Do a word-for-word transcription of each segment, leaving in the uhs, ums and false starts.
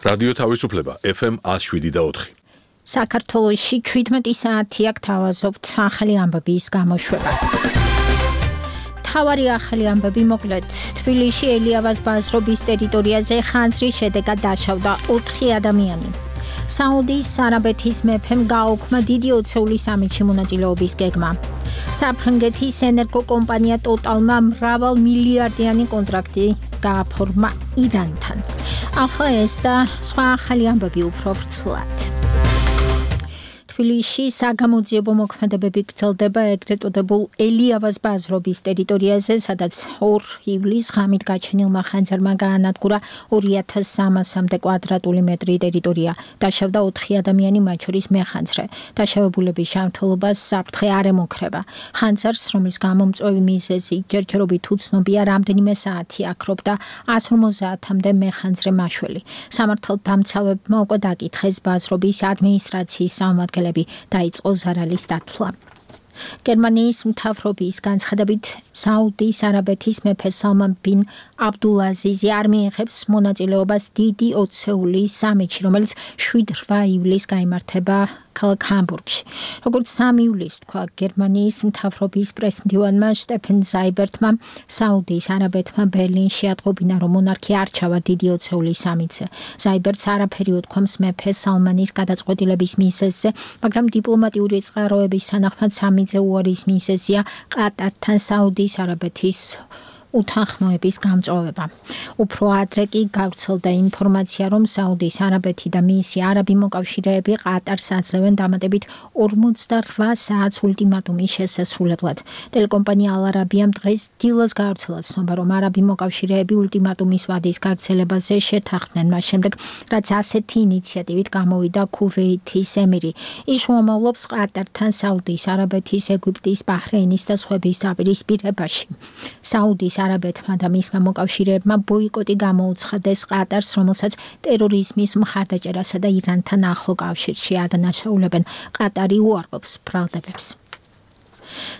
რადიო თავისუფლება ეფ ემ one oh seven point four. საქართველოში ჩვიდმეტი საათი აქ თავაზობთ ახალი ამბების გამოშვებას. თავარი ახალი ამბები მოკლედ. თბილისში ელიავას ბაზრობის ტერიტორიაზე ხანძრის შედეგად დაშავდა ოთხი ადამიანი. საუდის არაბეთის მეფემ გააუქმა დიდი ოცეული სამეთში მონაწილეობის გეგმა. საფრანგეთის ენერგო კომპანია ტოტალმა მრავალ მილიარდიანი კონტრაქტი გააფორმა ირანთან. ახლა ეს და სხვა ახალი ამბები უფრო ვრცლად. თბილისში საგამოძიებო მოქმედებები გრძელდება ეგრეთ წოდებულ ელიავას ბაზრობის ტერიტორიაზე, სადაც ორი ივლისს ღამით გაჩენილმა ხანძარმა გაანადგურა ორი ათას სამასამდე კვადრატული მეტრი ტერიტორია. დაშავდა ოთხი ადამიანი, მათ შორის მეხანძრე. დაშავებულების ჯანმრთელობას საფრთხე არ ემუქრება. ხანძარს, რომლის გამომწვევი მიზეზი ჯერჯერობით უცნობია, რამდენიმე საათი აქრობდა one fifty-მდე მეხანძრე მაშველი. სამართალდამცავებმა უკვე დაკითხეს ბაზრობის ადმინისტრაციის სამმართველი დაიწყო ზარალის დათვლა. გერმანიის მთავრობის განცხადებით საუდის არაბეთის მეფე სალმან ბინ აბდულაზიზი არ მიიღებს მონაწილეობას დიდი ოცეული სამეთში, რომელიც შვიდ-რვა ივლისს გაიმართება ქალაქ ჰამბურგში. როგორც სამი ივლისს თქვა გერმანიის მთავრობის პრესმდივანმა შტეფენ ზაიბერტმა, საუდის არაბეთმა ბერლინში ატყობინა, რომ მონარქი არ ჩავა დიდი ოცეული სამეთზე. ზაიბერტს არაფერი უთქვამს მეფე სალმანის გადაწყვეტილების მიზეზზე, მაგრამ დიპლომატიური წყაროების თანახმად სამიძე უარის მიზეზია ყატართან საუდის არაბეთის უთანხმოების გამწვავება. უფრო ადრე კი გავრცელდა ინფორმაცია, რომ საუდის არაბეთი და მისი არაბი მოკავშირეები ყატარს აძლევენ დამატებით ორმოცდარვა საათს ულტიმატუმის შესასრულებლად. ტელეკომპანია ალ არაბიამ დღეს დილას გავრცელა ცნობა, რომ არაბი მოკავშირეები ულტიმატუმის ვადის გაგრძელებაზე შეთანხმდნენ, მას შემდეგ, რაც ასეთი ინიციატივით გამოვიდა ქუვეითის ემირი. ის უმამლობს ყატართან საუდის არაბეთის, ეგვიპტის, ბაჰრეინის და სხვების დაპირისპირებაში. საუდის არაბეთმა და მისმა მოკავშირეებმა ბოიკოტი გამოუცხადეს ყატარს, რომელსაც ტერორიზმის მხარდაჭერასა და ირანთან ახლო კავშირში ადანაშაულებენ. ყატარი უარყოფს ბრალდებებს.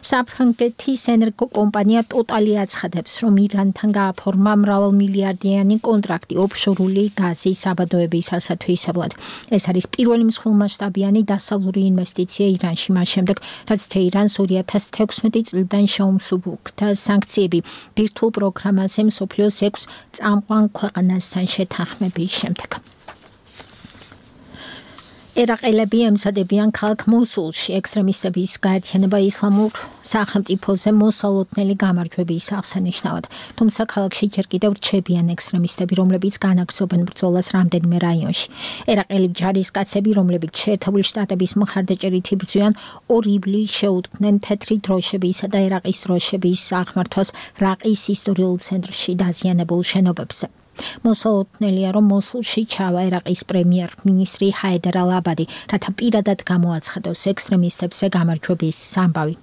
საფრანგეთის ენერგო კომპანია ტოტალი აცხადებს, რომ ირანთან გააფორმა მრავალ მილიარდიანი კონტრაქტი ოფშორული გაზის საბადოების ასათვისებლად. ეს არის პირველი მსხვილმასშტაბიანი დასავლური ინვესტიცია ირანში, მას შემდეგ, რაც თეირანს ორი ათას თექვსმეტი წლიდან შეუმსუბუქდა სანქციები ბირთვულ პროგრამაზე მსოფლიოს ექვს წამყვან ქვეყანასთან შეთანხმების შემდეგ. ერაყელები ემზადებიან ქალაქ მოსულში ექსტრემისტების გაერთიანება ისლამურ სახელმწიფოზე მოსალოდნელი გამარჯვების აღსანიშნავად. თუმცა ქალაქში ჯერ კიდევ რჩებიან ექსტრემისტები, რომლებიც განაგრძობენ ბრძოლას რამდენიმე რაიონში. ერაყელი ჯარისკაცები, რომლებიც შეერთებული შტატების მხარდაჭერით იბრძვიან, ორი ივლისს შეუდგნენ თეთრი დროშებისა და ერაყის დროშების აღმართვას რაყის ისტორიულ ცენტრში დაზიანებულ შენობებზე. მოსალოდნელია, რომ მოსულში ჩავა ერაყის პრემიერ-მინისტრი ჰაიდარ ალ-აბადი, რათა პირადად გამოაცხადოს ექსტრემისტებზე გამარჯვების ამბავი.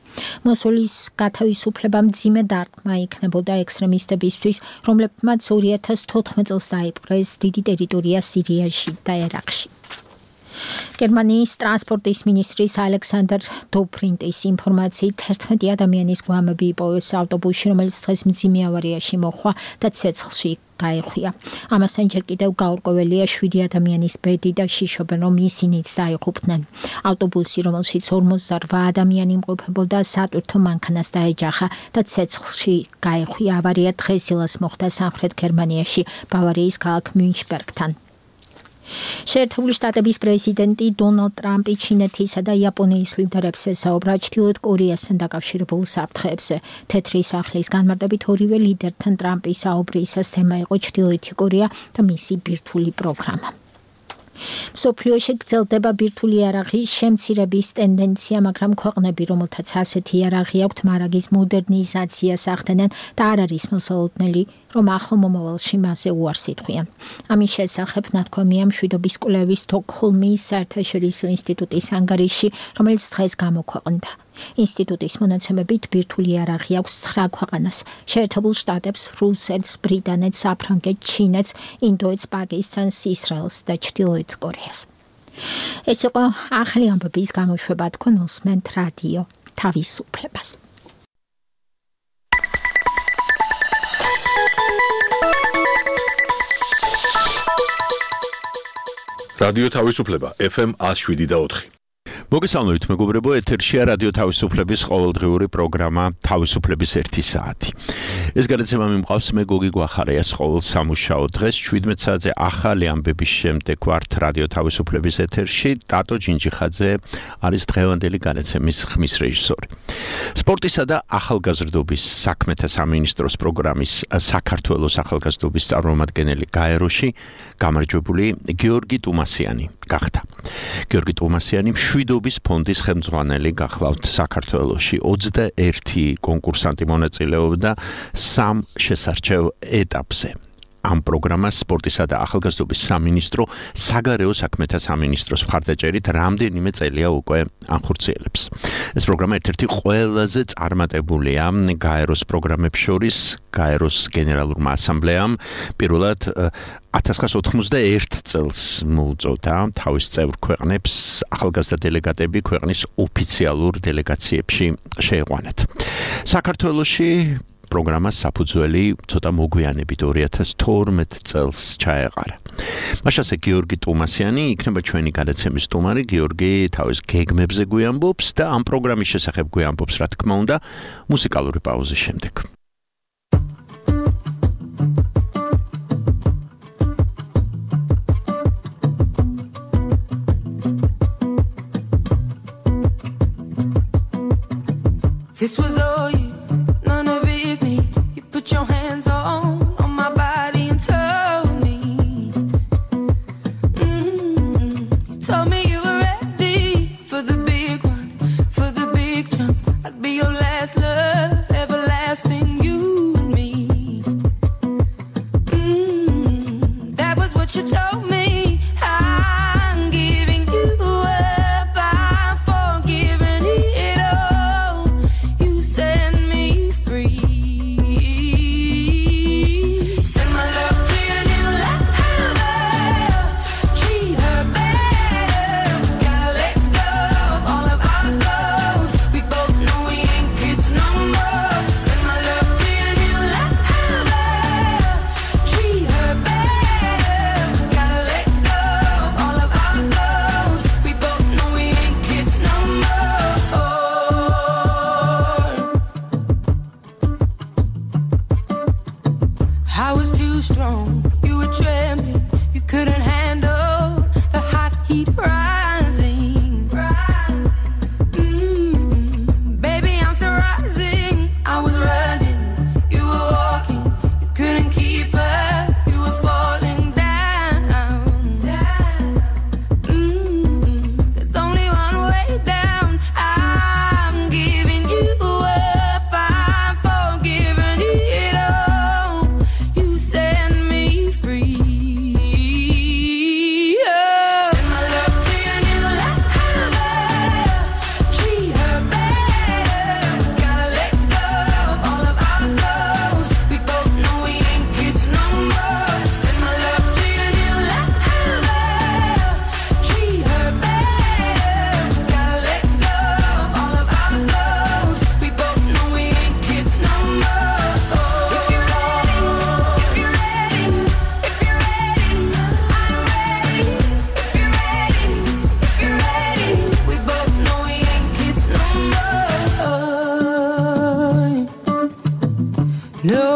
მოსულის გათავისუფლება მძიმე დარტყმა იქნებოდა ექსტრემისტებისთვის, რომლებმაც ორი ათას თოთხმეტ წელს დაიპყრეს დიდი ტერიტორია სირიაში და ერაყში. გერმანიის ტრანსპორტის მინისტრის ალექსანდერ დოფრინტის ინფორმაციით ერთმეტი ადამიანის გვამები იპოვეს ავტობუსში, რომელიც დღეს მძიმე ავარიაში მოხდა და ცეცხლში გაეხვია. ამასთან ჯერ კიდევ გაურკვეველია შვიდი ადამიანის ბედი და შიშობენ, რომ ისინიც დაიღუპნენ. ავტობუსი, რომელშიც ორმოცდარვა ადამიანი იმყოფებოდა, სატვირთო მანქანას დაეჯახა და ცეცხლში გაეხვია. ავარია დღეს დილას მოხდა სამხრეთ გერმანიაში, ბავარიის ქალაქ მუნშბერგთან. შეერთებული შტატების პრეზიდენტი დონალდ ტრამპი ჩინეთისა და იაპონიის ლიდერებს ესაუბრა ჩრდილოეთ კორეასთან დაკავშირებულ საფრთხეებზე. თეთრი სახლის განმარტებით ორივე ლიდერთან ტრამპის საუბრისას თემა იყო ჩრდილოეთი კორეა და მისი ბირთვული პროგრამა. მსოფლიოში გრძელდება ბირთვული იარაღის შემცირების ტენდენცია, მაგრამ ქვეყნები, რომელთაც ასეთი იარაღი აქვთ, მარაგის მოდერნიზაციას ახდენენ და არ არის მოსალოდნელი, რომ ახლო მომავალში მასზე უარს ითხვიან. ამის შესახებ ნათქვამია მშვიდობის კვლევის სტოკჰოლმის საერთაშორისო ინსტიტუტის ანგარიში, რომელიც დღეს გამოქვეყნდა. ინსტიტუტის მონაცემებით ბირთვული იარაღი აქვს ცხრა ქვეყანას: შეერთებულ შტატებს, რუსეთს, ბრიტანეთს, საფრანგეთს, ჩინეთს, ინდოეთს, პაკისტანს, ისრაელს და ჩრდილოეთ კორეას. ეს იყო ახალი ამბების გამოშვება, თქვენ უსმენთ რადიო თავისუფლებას. რადიო თავისუფლება F M one oh seven და four. მოგესალმებით მეგობრებო, ეთერშია რადიო თავისუფლების ყოველდღიური პროგრამა თავისუფლების ერთი საათი. ეს გადაცემა მიმყავს მე გოგი გვახარიას ყოველ სამუშაო დღეს შვიდმეტ საათზე ახალი ამბების შემდეგ ვართ რადიო თავისუფლების ეთერში. ტატო ჯინჯიხაძე არის დღევანდელი გადაცემის ხმის რეჟისორი. სპორტისა და ახალგაზრდობის საქმეთა სამინისტროს პროგრამის საქართველოს ახალგაზრდობის წარმომადგენელი გაეროში გამარჯვებული გიორგი ტუმასიანი გახდა. გიორგი ტუმასიანი მშვიდობის ფონდის ხელმძღვანელი გახლავთ საქართველოში. ოცდაერთი კონკურსანტი მონაწილეობდა სამ შესარჩევ ეტაპზე. ამ პროგრამას სპორტისა და ახალგაზრდობის სამინისტრო საგარეო საქმეთა სამინისტროს მხარდაჭერით რამდენიმე წელია უკვე ახორციელებს. ეს პროგრამა ერთ-ერთი ყველაზე წარმატებულია გაეროს პროგრამებს შორის. გაეროს გენერალურმა ასამბლეამ პირველად one thousand nine hundred eighty-one წელს მოუწოდა თავის წევრ ქვეყნებს ახალგაზრდა დელეგატები ქვეყნის ოფიციალურ დელეგაციებში შეიყვანათ. საქართველოში პროგრამას საფუძველი ცოტა მოგვიანებით two thousand twelve წელს ჩაეყარა. მაშასე გიორგი ტუმასიანი იქნება ჩვენი გადაცემის სტუმარი. გიორგი თავის გეგმებზე გვიამბობს და ამ პროგრამის შესახებ გვიამბობს, რა თქმა უნდა, მუსიკალური პაუზის შემდეგ. This was all you, none of it me. You put your hands on, on my body and told me. Mm-hmm. You told me you were ready for the big one, for the big jump. I'd be your last love, everlasting, you and me. Mm-hmm. That was what you told me. I'm giving you up, I'm forgiving it all. Set me free. Send my love to your new lover. Treat her better. Gotta let go of all of our goals. We both know we ain't kids no more. Send my love to your new lover. Treat her better. Gotta let go of all of our goals. We both know we ain't kids no more. I was too strong, you were trembling, you couldn't handle the hot heat rising. Mm-hmm. Baby, I'm still rising. I was running, you were walking, you couldn't keep up, you were falling down. Mm-hmm. There's only one way down. I'm giving you up, I'm forgiving it all. You set me free. Oh. Send my love to your new lover. Treat her better. Gotta let go of all of our goals. We both know we ain't kids no more. Send my love to your new lover. Treat her better. Gotta let go of all of our goals. We both know we ain't kids no more. If you're ready, if you're ready, if you're ready, I'm ready. If you're ready, if you're ready, we both know we ain't kids no more. No,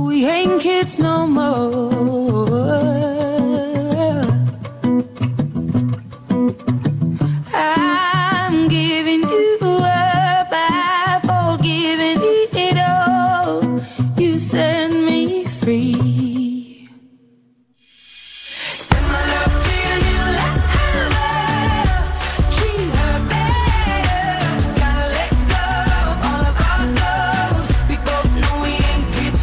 we ain't kids no more. I'm giving you up, I'm forgiving it all. You set me free. Send my love to your new lover. Treat her better. Gotta let go of all of our goals. We both know we ain't kids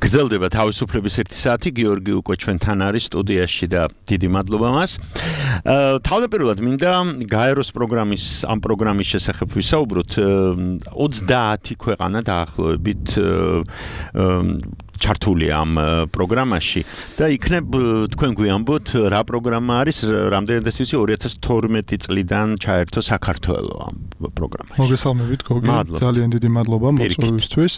გრძელდება თავისუფლების ერთი საათი, გიორგი უკვე ჩვენთან არის სტუდიაში და დიდი მადლობა მას. თავდაპირველად მინდა გაეროს პროგრამის ამ პროგრამის შესახებ ვისაუბროთ. ოცდაათი ქვეყანა დაახლოებით ჩართულია ამ პროგრამაში და იქნებ თქვენ გვიამბოთ რა პროგრამა არის, რამდენადაც ვიცი ორი ათას თორმეტი წლიდან ჩაერთო საქართველო ამ პროგრამაში. მოგესალმებით გოგი, ძალიან დიდი მადლობა მოწვევისთვის.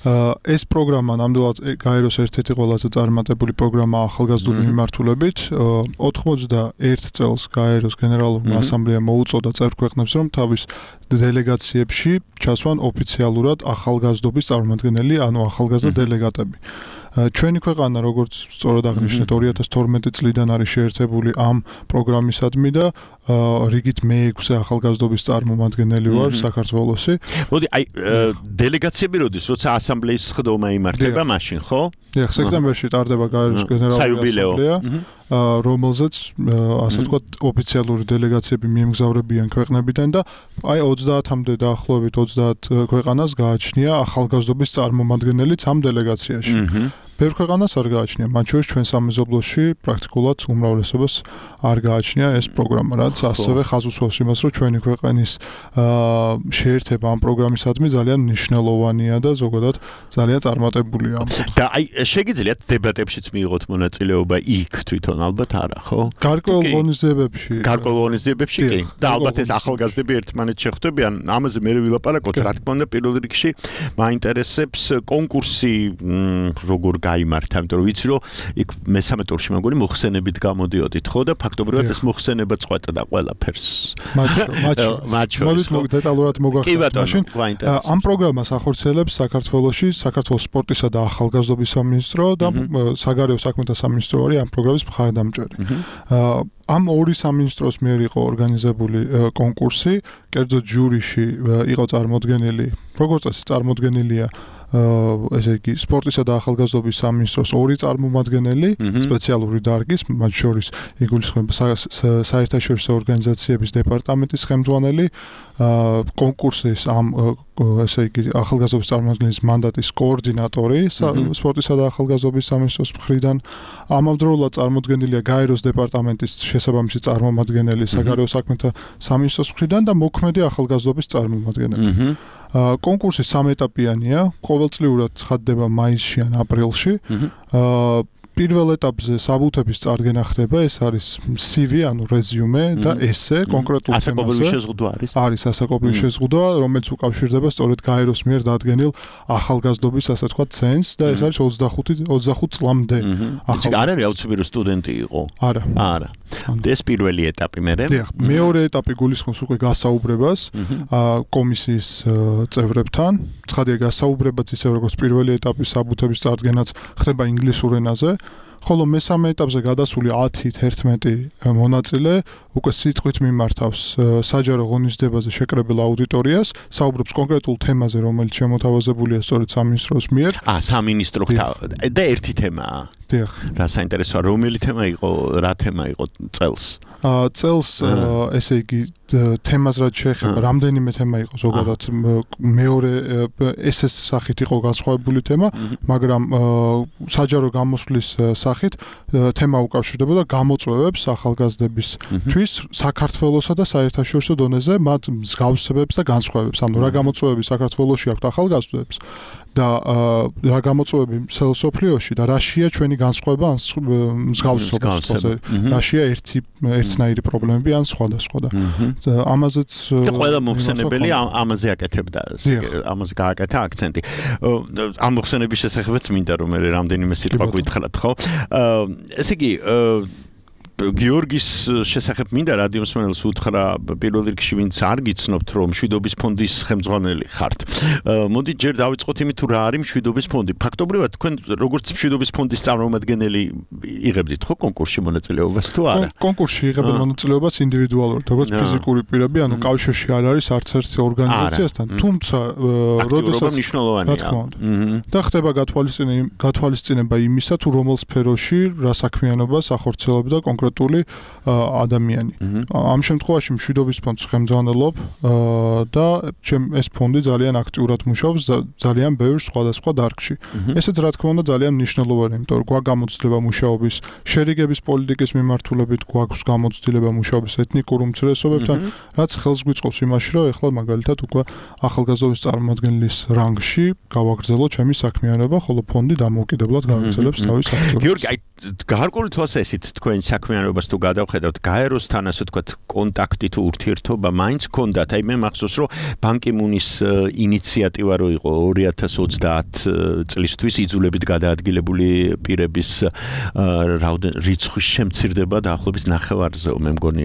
ეს პროგრამა ნამდვილად გაეროს ერთ-ერთი ყველაზე წარმატებული პროგრამა ახალგაზრდული მიმართულებით. ოცდაერთი წელს გაეროს გენერალურმა ასამბლეამ მოუწოდა წევრ ქვეყნებს, რომ თავის დელეგაციებში ჩასვან ოფიციალურად ახალგაზრდობის წარმომადგენელი, ანუ ახალგაზრდა დელეგატები. ჩვენი ქვეყანა, როგორც სწორად აღნიშნეთ, ორი ათას თორმეტი წლიდან არის შეერთებული ამ პროგრამისადმი და რიგით მეექვსე ახალგაზრდობის წარმომადგენელი ვარ საქართველოსი. მოდი, აი დელეგაციები როდის, როცა ასამბლეის სხდომა იმართება მაშინ, ხო? დიახ, სექტემბერში ტარდება გაეროს გენერალური ასამბლეა, რომელზეც ასე ვთქვათ ოფიციალური დელეგაციები მიემგზავრებიან ქვეყნებიდან და აი ოცდაათამდე დაახლოებით ოცდაათ ქვეყანას გააჩნია ახალგაზრდობის წარმომადგენელიც ამ დელეგაციაში. ბევრ ქვეყანას არ გააჩნია, მათ შორის ჩვენ სამეზობლოში პრაქტიკულად უმრავლესობას არ გააჩნია ეს პროგრამა, რაც ასევე ხაზს უსვამს იმას, რომ ჩვენი ქვეყნის შეერთება ამ პროგრამისადმი ძალიან მნიშვნელოვანია და ზოგადად ძალიან წარმატებულია. და აი შეგიძლიათ დებატებშიც მიიღოთ მონაწილეობა იქ თვითონ ალბათ არა, ხო? გარკვეულ ღონისძიებებში. გარკვეულ ღონისძიებებში კი. და ალბათ ეს ახალგაზრდები ერთმანეთს შეხვდებიან, ამაზე მე ვილაპარაკოთ, რა თქმა უნდა, პირველ რიგში მაინტერესებს კონკურსი როგორ გაიმართა, იმიტომ რომ ვიცი რომ იქ მესამე ტურში მაგარი მოხსენებით გამოდიოდით, ხო და ფაქტობრივად ეს მოხსენება წყვეტდა ყველაფერს. მათში. მოდით დეტალურად მოგახსენოთ მაშინ. ამ პროგრამას ახორციელებს საქართველოში საქართველოს სპორტისა და ახალგაზრდობის სამინისტრო და საგარეო საქმეთა სამინისტრო არის ამ პროგრამის მხარდამჭერი. ამ ორი სამინისტროს მიერ იყო ორგანიზებული კონკურსი, კერძო ჯურიში იყო წარმოდგენილი, როგორც წესი წარმოდგენილია ესე იგი სპორტისა და ახალგაზრდობის სამინისტროს ორი წარმომადგენელი, სპეციალური დარგის, მათ შორის იგულისხმება საერთაშორისო ორგანიზაციების დეპარტამენტის ხელმძღვანელი, კონკურსის ამ ესე იგი ახალგაზრდობის წარმომადგენლის მანდატის კოორდინატორი სპორტისა და ახალგაზრდობის სამინისტროს მხრიდან, ამავდროულად წარმოდგენილია გაეროს დეპარტამენტის შესაბამისი წარმომადგენელი საგარეო საქმეთა სამინისტროს მხრიდან და მოქმედი ახალგაზრდობის წარმომადგენელი. კონკურსი სამეტაპიანია, ყოველწლიურად ცხადდება მაისში ან აპრილში. პირველ ეტაპზე საბუთების წარდგენა ხდება, ეს არის სი ვი, ანუ რეზიუმე და ესე კონკრეტულ თემაზე. ასაკობრივი შეზღუდვა არის? არის ასაკობრივი შეზღუდვა, რომელიც უკავშირდება სწორედ გაეროს მიერ დადგენილ ახალგაზრდობის, ასე ვთქვათ, ცენს და ეს არის ოცდახუთი წლამდე. ახლა არ არის აუცილებელი სტუდენტი იყო? არა. არა. ეს პირველი ეტაპი მერე? დიახ, მეორე ეტაპი გულისხმობს უკვე გასაუბრებას კომისიის წევრებთან. ცხადია, გასაუბრებაც ისე როგორც პირველი ეტაპის საბუთების წარდგენაც ხდება ინგლისურ ენაზე. ხოლო მესამე ეტაპზე გადასული ათი თერთმეტი მონაწილე უკვე სიტყვით მიმართავს საჯარო ღონისძიებაზე შეკრებილ აუდიტორიას, საუბრობს კონკრეტულ თემაზე, რომელიც შემოთავაზებულია სწორედ სამინისტროს მიერ. აა, სამინისტრო და ერთი თემაა. დიახ. რა საინტერესოა, რომელი თემა იყო, რა თემა იყო წელს? აა, წელს ესე იგი თემას რაც შეეხება, რამდენიმე თემა იყო ზოგადად, მეორე ესეს სახით იყო განსხვავებული თემა, მაგრამ საჯარო გამოსვლის სახით თემა უკავშირდებოდა გამოწვევებს ახალგაზრდებისთვის საქართველოსა და საერთაშორისო დონეზე მათ მსგავსებებს და განსხვავებებს. ანუ რა გამოწვევები საქართველოში აქვთ ახალგაზრდებს და რა გამოწვევები მსოფლიოში და რაშია ჩვენი განსხვავება ან მსგავსობა, რაშია ერთი ერთნაირი პრობლემები ან სხვადასხვა და ამაზეც და ყველა მოხსენებელი ამაზე აკეთებდა, ამაზე გააკეთა აქცენტი. ამ მოხსენების შესახებაც მინდა რომ მე რამდენიმე სიტყვა გითხრათ, ხო? ესე იგი გიორგის შესახებ მინდა რადიო მსმენელს უთხრა პირველ რიგში ვინც არ გიცნობთ რომ მშვიდობის ფონდის ხელმძღვანელი ხართ. მოდი ჯერ დავიწყოთ იმით თუ რა არის მშვიდობის ფონდი. ფაქტობრივად თქვენ როგორც მშვიდობის ფონდის წარმომადგენელი იღებდით ხო კონკურსში მონაწილეობას თუ არა? კონკურსში იღებენ მონაწილეობას ინდივიდუალურად, როგორც ფიზიკური პირები, ანუ კავშირში არ არის არც ერთი ორგანიზაციასთან, თუმცა როდესაც მნიშვნელოვანია. და ხდება გათვალისწინება იმისა თუ რომელ სფეროში რა საქმიანობას ახორციელებდა კონკრეტული კონკრეტული ადამიანი. ამ შემთხვევაში მშვიდობის ფონდს ხემძანელობ და ეს ფონდი ძალიან აქტიურად მუშაობს ძალიან ბევრ სხვადასხვა დარგში. ესეც რა თქმა უნდა ძალიან მნიშვნელოვანია, იმიტომ რომ გვაქვს გამოცდილება მუშაობის შერიგების პოლიტიკის მიმართულებით, გვაქვს გამოცდილება მუშაობის ეთნიკურ უმცირესობებთან, რაც ხელს გვიწყობს იმაში, რომ ეხლა მაგალითად უკვე ახალგაზრდობის წარმომადგენლის რანგში გავაგრძელოთ ჩემი საქმიანობა, ხოლო ფონდი დამოუკიდებლად გავაგრძელებს თავის აქტივობას. გიორგი, აი გარკვეული თვალსაზრისით თქვენ საქმიანობას თუ გადავხედავთ, გაეროსთან ასე ვთქვათ, კონტაქტი თუ ურთიერთობა მაინც გქონდათ. აი მე მახსოვს, რომ ბან კი მუნის ინიციატივა რო იყო ორი ათას ოცდაათ წლისთვის იძულებით გადაადგილებული პირების რიცხვის შემცირდება დაახლოებით ნახევარზე, მე მგონი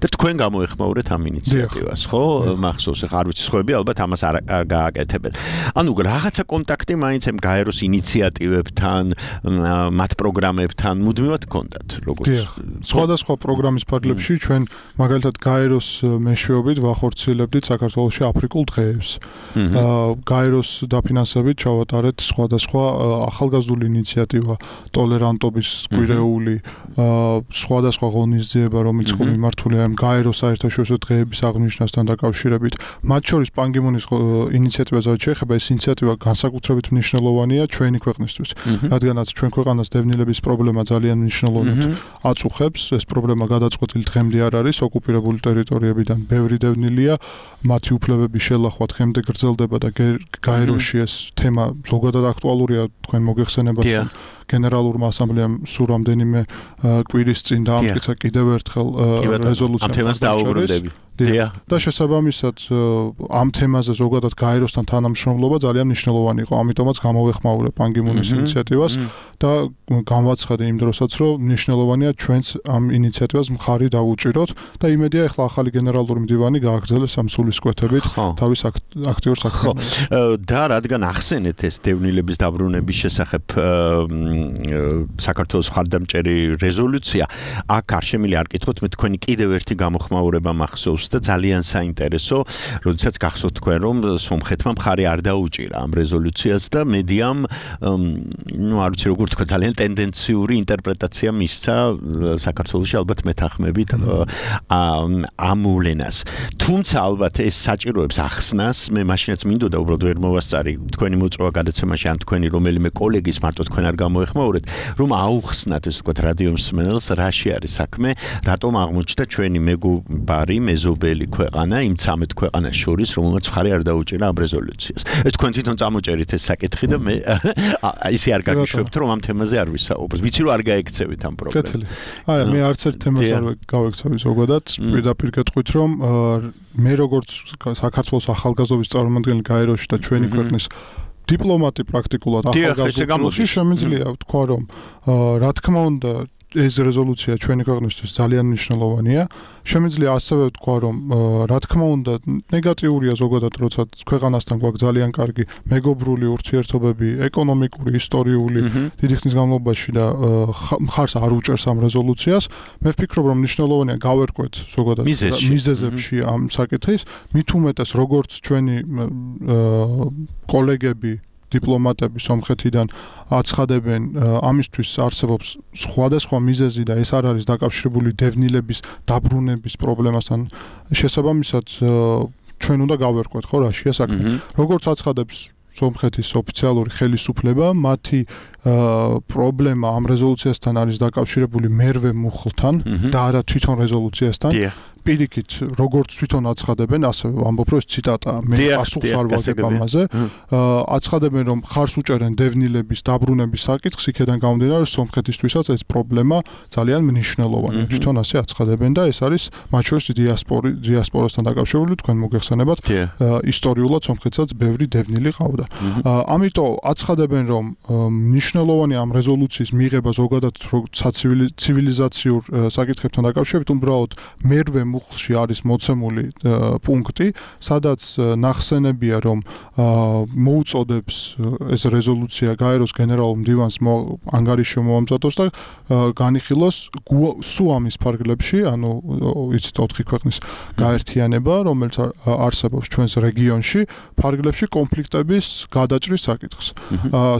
და თქვენ გამოეხმაურეთ ამ ინიციატივას, ხო? მახსოვს, ხა არ ვიცი, სხვები ალბათ ამას არ გააკეთებენ. ანუ რაღაცა კონტაქტი მაინც ამ გაეროს ინიციატივებთან, მათ პროგრამებთან მუდმივად გქონდათ, როგორც სხვადასხვა პროგრამის ფარგლებში ჩვენ მაგალითად გაეროს მეშვეობით ვახორციელებდით საქართველოში აფრიკულ დღეებს. გაეროს დაფინანსებით ჩავატარეთ სხვადასხვა ახალგაზრდული ინიციატივა, ტოლერანტობის კვირეული, სხვადასხვა ღონისძიება, რომელიც მიმართულია ამ გაეროს საერთაშორისო დღეების აღნიშვნასთან დაკავშირებით. მათ შორის ბან კი მუნის ინიციატივაზე შეეხება, ეს ინიციატივა განსაკუთრებით მნიშვნელოვანია ჩვენი ქვეყნისთვის, რადგანაც ჩვენ ქვეყანას დევნილების პრობლემა ძალიან მნიშვნელოვნად აწუხებს. ეს პრობლემა გადაწყვეტილი დღემდე არ არის, ოკუპირებული ტერიტორიებიდან ბევრი დევნილია, მათი უფლებების შელახვა დღემდე გრძელდება და გაეროში ეს თემა ზოგადად აქტუალურია, თქვენ მოგეხსენებათ. გენერალურმა ასამბლეამ სულ რამდენიმე კვირის წინ დაამტკიცა კიდევ ერთხელ რეზოლუცია. ამ თემას დაუბრუნდები. და შესაბამისად ამ თემაზე ზოგადად გაეროსთან თანამშრომლობა ძალიან მნიშვნელოვანი იყო, ამიტომაც გამოვეხმაურე ბან კი მუნის ინიციატივას და გამვაცხადე იმ დროსაც, რომ მნიშვნელოვანია ჩვენც ამ ინიციატივას მხარი დავუჭიროთ და იმედია ახლა ახალი გენერალური მდივანი გააგრძელებს ამ სულისკვეთებით თავის აქტიურ საქმიანობას. და რადგან ახსენეთ ეს დევნილების დაბრუნების შესახებ საქართველოს მხარდამჭერი რეზოლუცია, აქ არ შემიძლია არ კითხოთ, მე თქვენი კიდევ ერთი გამოხმაურება მახსოვს და ძალიან საინტერესო, როდესაც გახსოვთ თქვენ, რომ სომხეთმა მხარი არ დაუჭირა ამ რეზოლუციას და მედიამ, ну, არ ვიცი როგორ თქვა, ძალიან ტენდენციური ინტერპრეტაცია მისცა საქართველოში ალბათ მეთანხმებით ამ მოვლენას. თუმცა ალბათ ეს საჭიროებს ახსნას, მე მაშინაც მინდოდა უბრალოდ ვერ მოვასწარი თქვენი მოწვევა გადაცემაში ან თქვენი რომელიმე კოლეგის, მარტო თქვენ არ გამოეხმაურეთ, რომ აუხსნათ ეს ვთქვათ რადიო მსმენელს, რაში არის საქმე, რატომ აღმოჩნდა ჩვენი მეგობარი მეზობელი ქვეყანა იმ ცამეტ ქვეყანას შორის, რომელმაც მხარი არ დაუჭირა ამ რეზოლუციას. ეს თქვენ თვითონ წამოჭერით ეს საკითხი და მე ისე არ გაგიშვებთ, რომ ამ თემაზე არ ვისაუბროთ. ვიცი რომ არ გაექცევით ამ პრობლემას. არა, მე არც ერთ თემას არ გავექცევი ზოგადად, პირდაპირ გეტყვით, რომ მე როგორც საქართველოს ახალგაზრდობის წარმომადგენელი გაეროში და ჩვენი ქვეყნის დიპლომატი პრაქტიკულად ახალგაზრდობაში შემიძლია ვთქვა, რომ რა თქმა უნდა ეს რეზოლუცია ჩვენი ქვეყნისთვის ძალიან მნიშვნელოვანია. შემიძლია ასევე ვთქვა, რომ რა თქმა უნდა ნეგატიურია ზოგადად, როცა ქვეყანასთან გვაქვს ძალიან კარგი მეგობრული ურთიერთობები, ეკონომიკური, ისტორიული, დიდი ხნის განმავლობაში და მხარს არ უჭერს ამ რეზოლუციას. მე ვფიქრობ, რომ მნიშვნელოვანია გავერკვეთ ზოგადად მიზეზებში ამ საკითხის, მით უმეტეს როგორც ჩვენი კოლეგები დიპლომატები სომხეთიდან აცხადებენ, ამისთვის არსებობს სხვადასხვა მიზეზი და ეს არ არის დაკავშირებული დევნილების დაბრუნების პრობლემასთან. შესაბამისად, ჩვენ უნდა გავერკვეთ, ხო, რაშია საქმე. როგორც აცხადებს სომხეთის ოფიციალური ხელისუფლება, მათი პრობლემა ამ რეზოლუციასთან არის დაკავშირებული მერვე მუხლთან და არა თვითონ რეზოლუციასთან. პირიქით, როგორც თვითონ აცხადებენ, ასე ვამბობ, რომ ეს ციტატაა, მე პასუხს არ ვაგებ ამაზე. აცხადებენ, რომ ხარს უჭერენ დევნილების დაბრუნების საკითხს, იქედან გამომდინარე, სომხეთისთვისაც ეს პრობლემა ძალიან მნიშვნელოვანია. თვითონ ასე აცხადებენ და ეს არის მათ შორის დიასპორი, დიასპორასთან დაკავშირებული, თქვენ მოგეხსენებათ, ისტორიულად სომხეთსაც ბევრი დევნილი ყავდა. ამიტომ აცხადებენ, რომ მნიშვნელოვანია ამ რეზოლუციის მიღება ზოგადად ცივილიზაციურ საკითხებთან დაკავშირებით, უბრალოდ მერვე მუხლში არის მოცემული პუნქტი, სადაც ნახსენებია, რომ მოუწოდებს ეს რეზოლუცია გაეროს გენერალურ მდივანს ანგარიში მოამზადოს და განიხილოს სუამის ფარგლებში, ანუ იცით ოთხი ქვეყნის გაერთიანება, რომელიც არსებობს ჩვენს რეგიონში, ფარგლებში კონფლიქტების გადაჭრის საკითხს.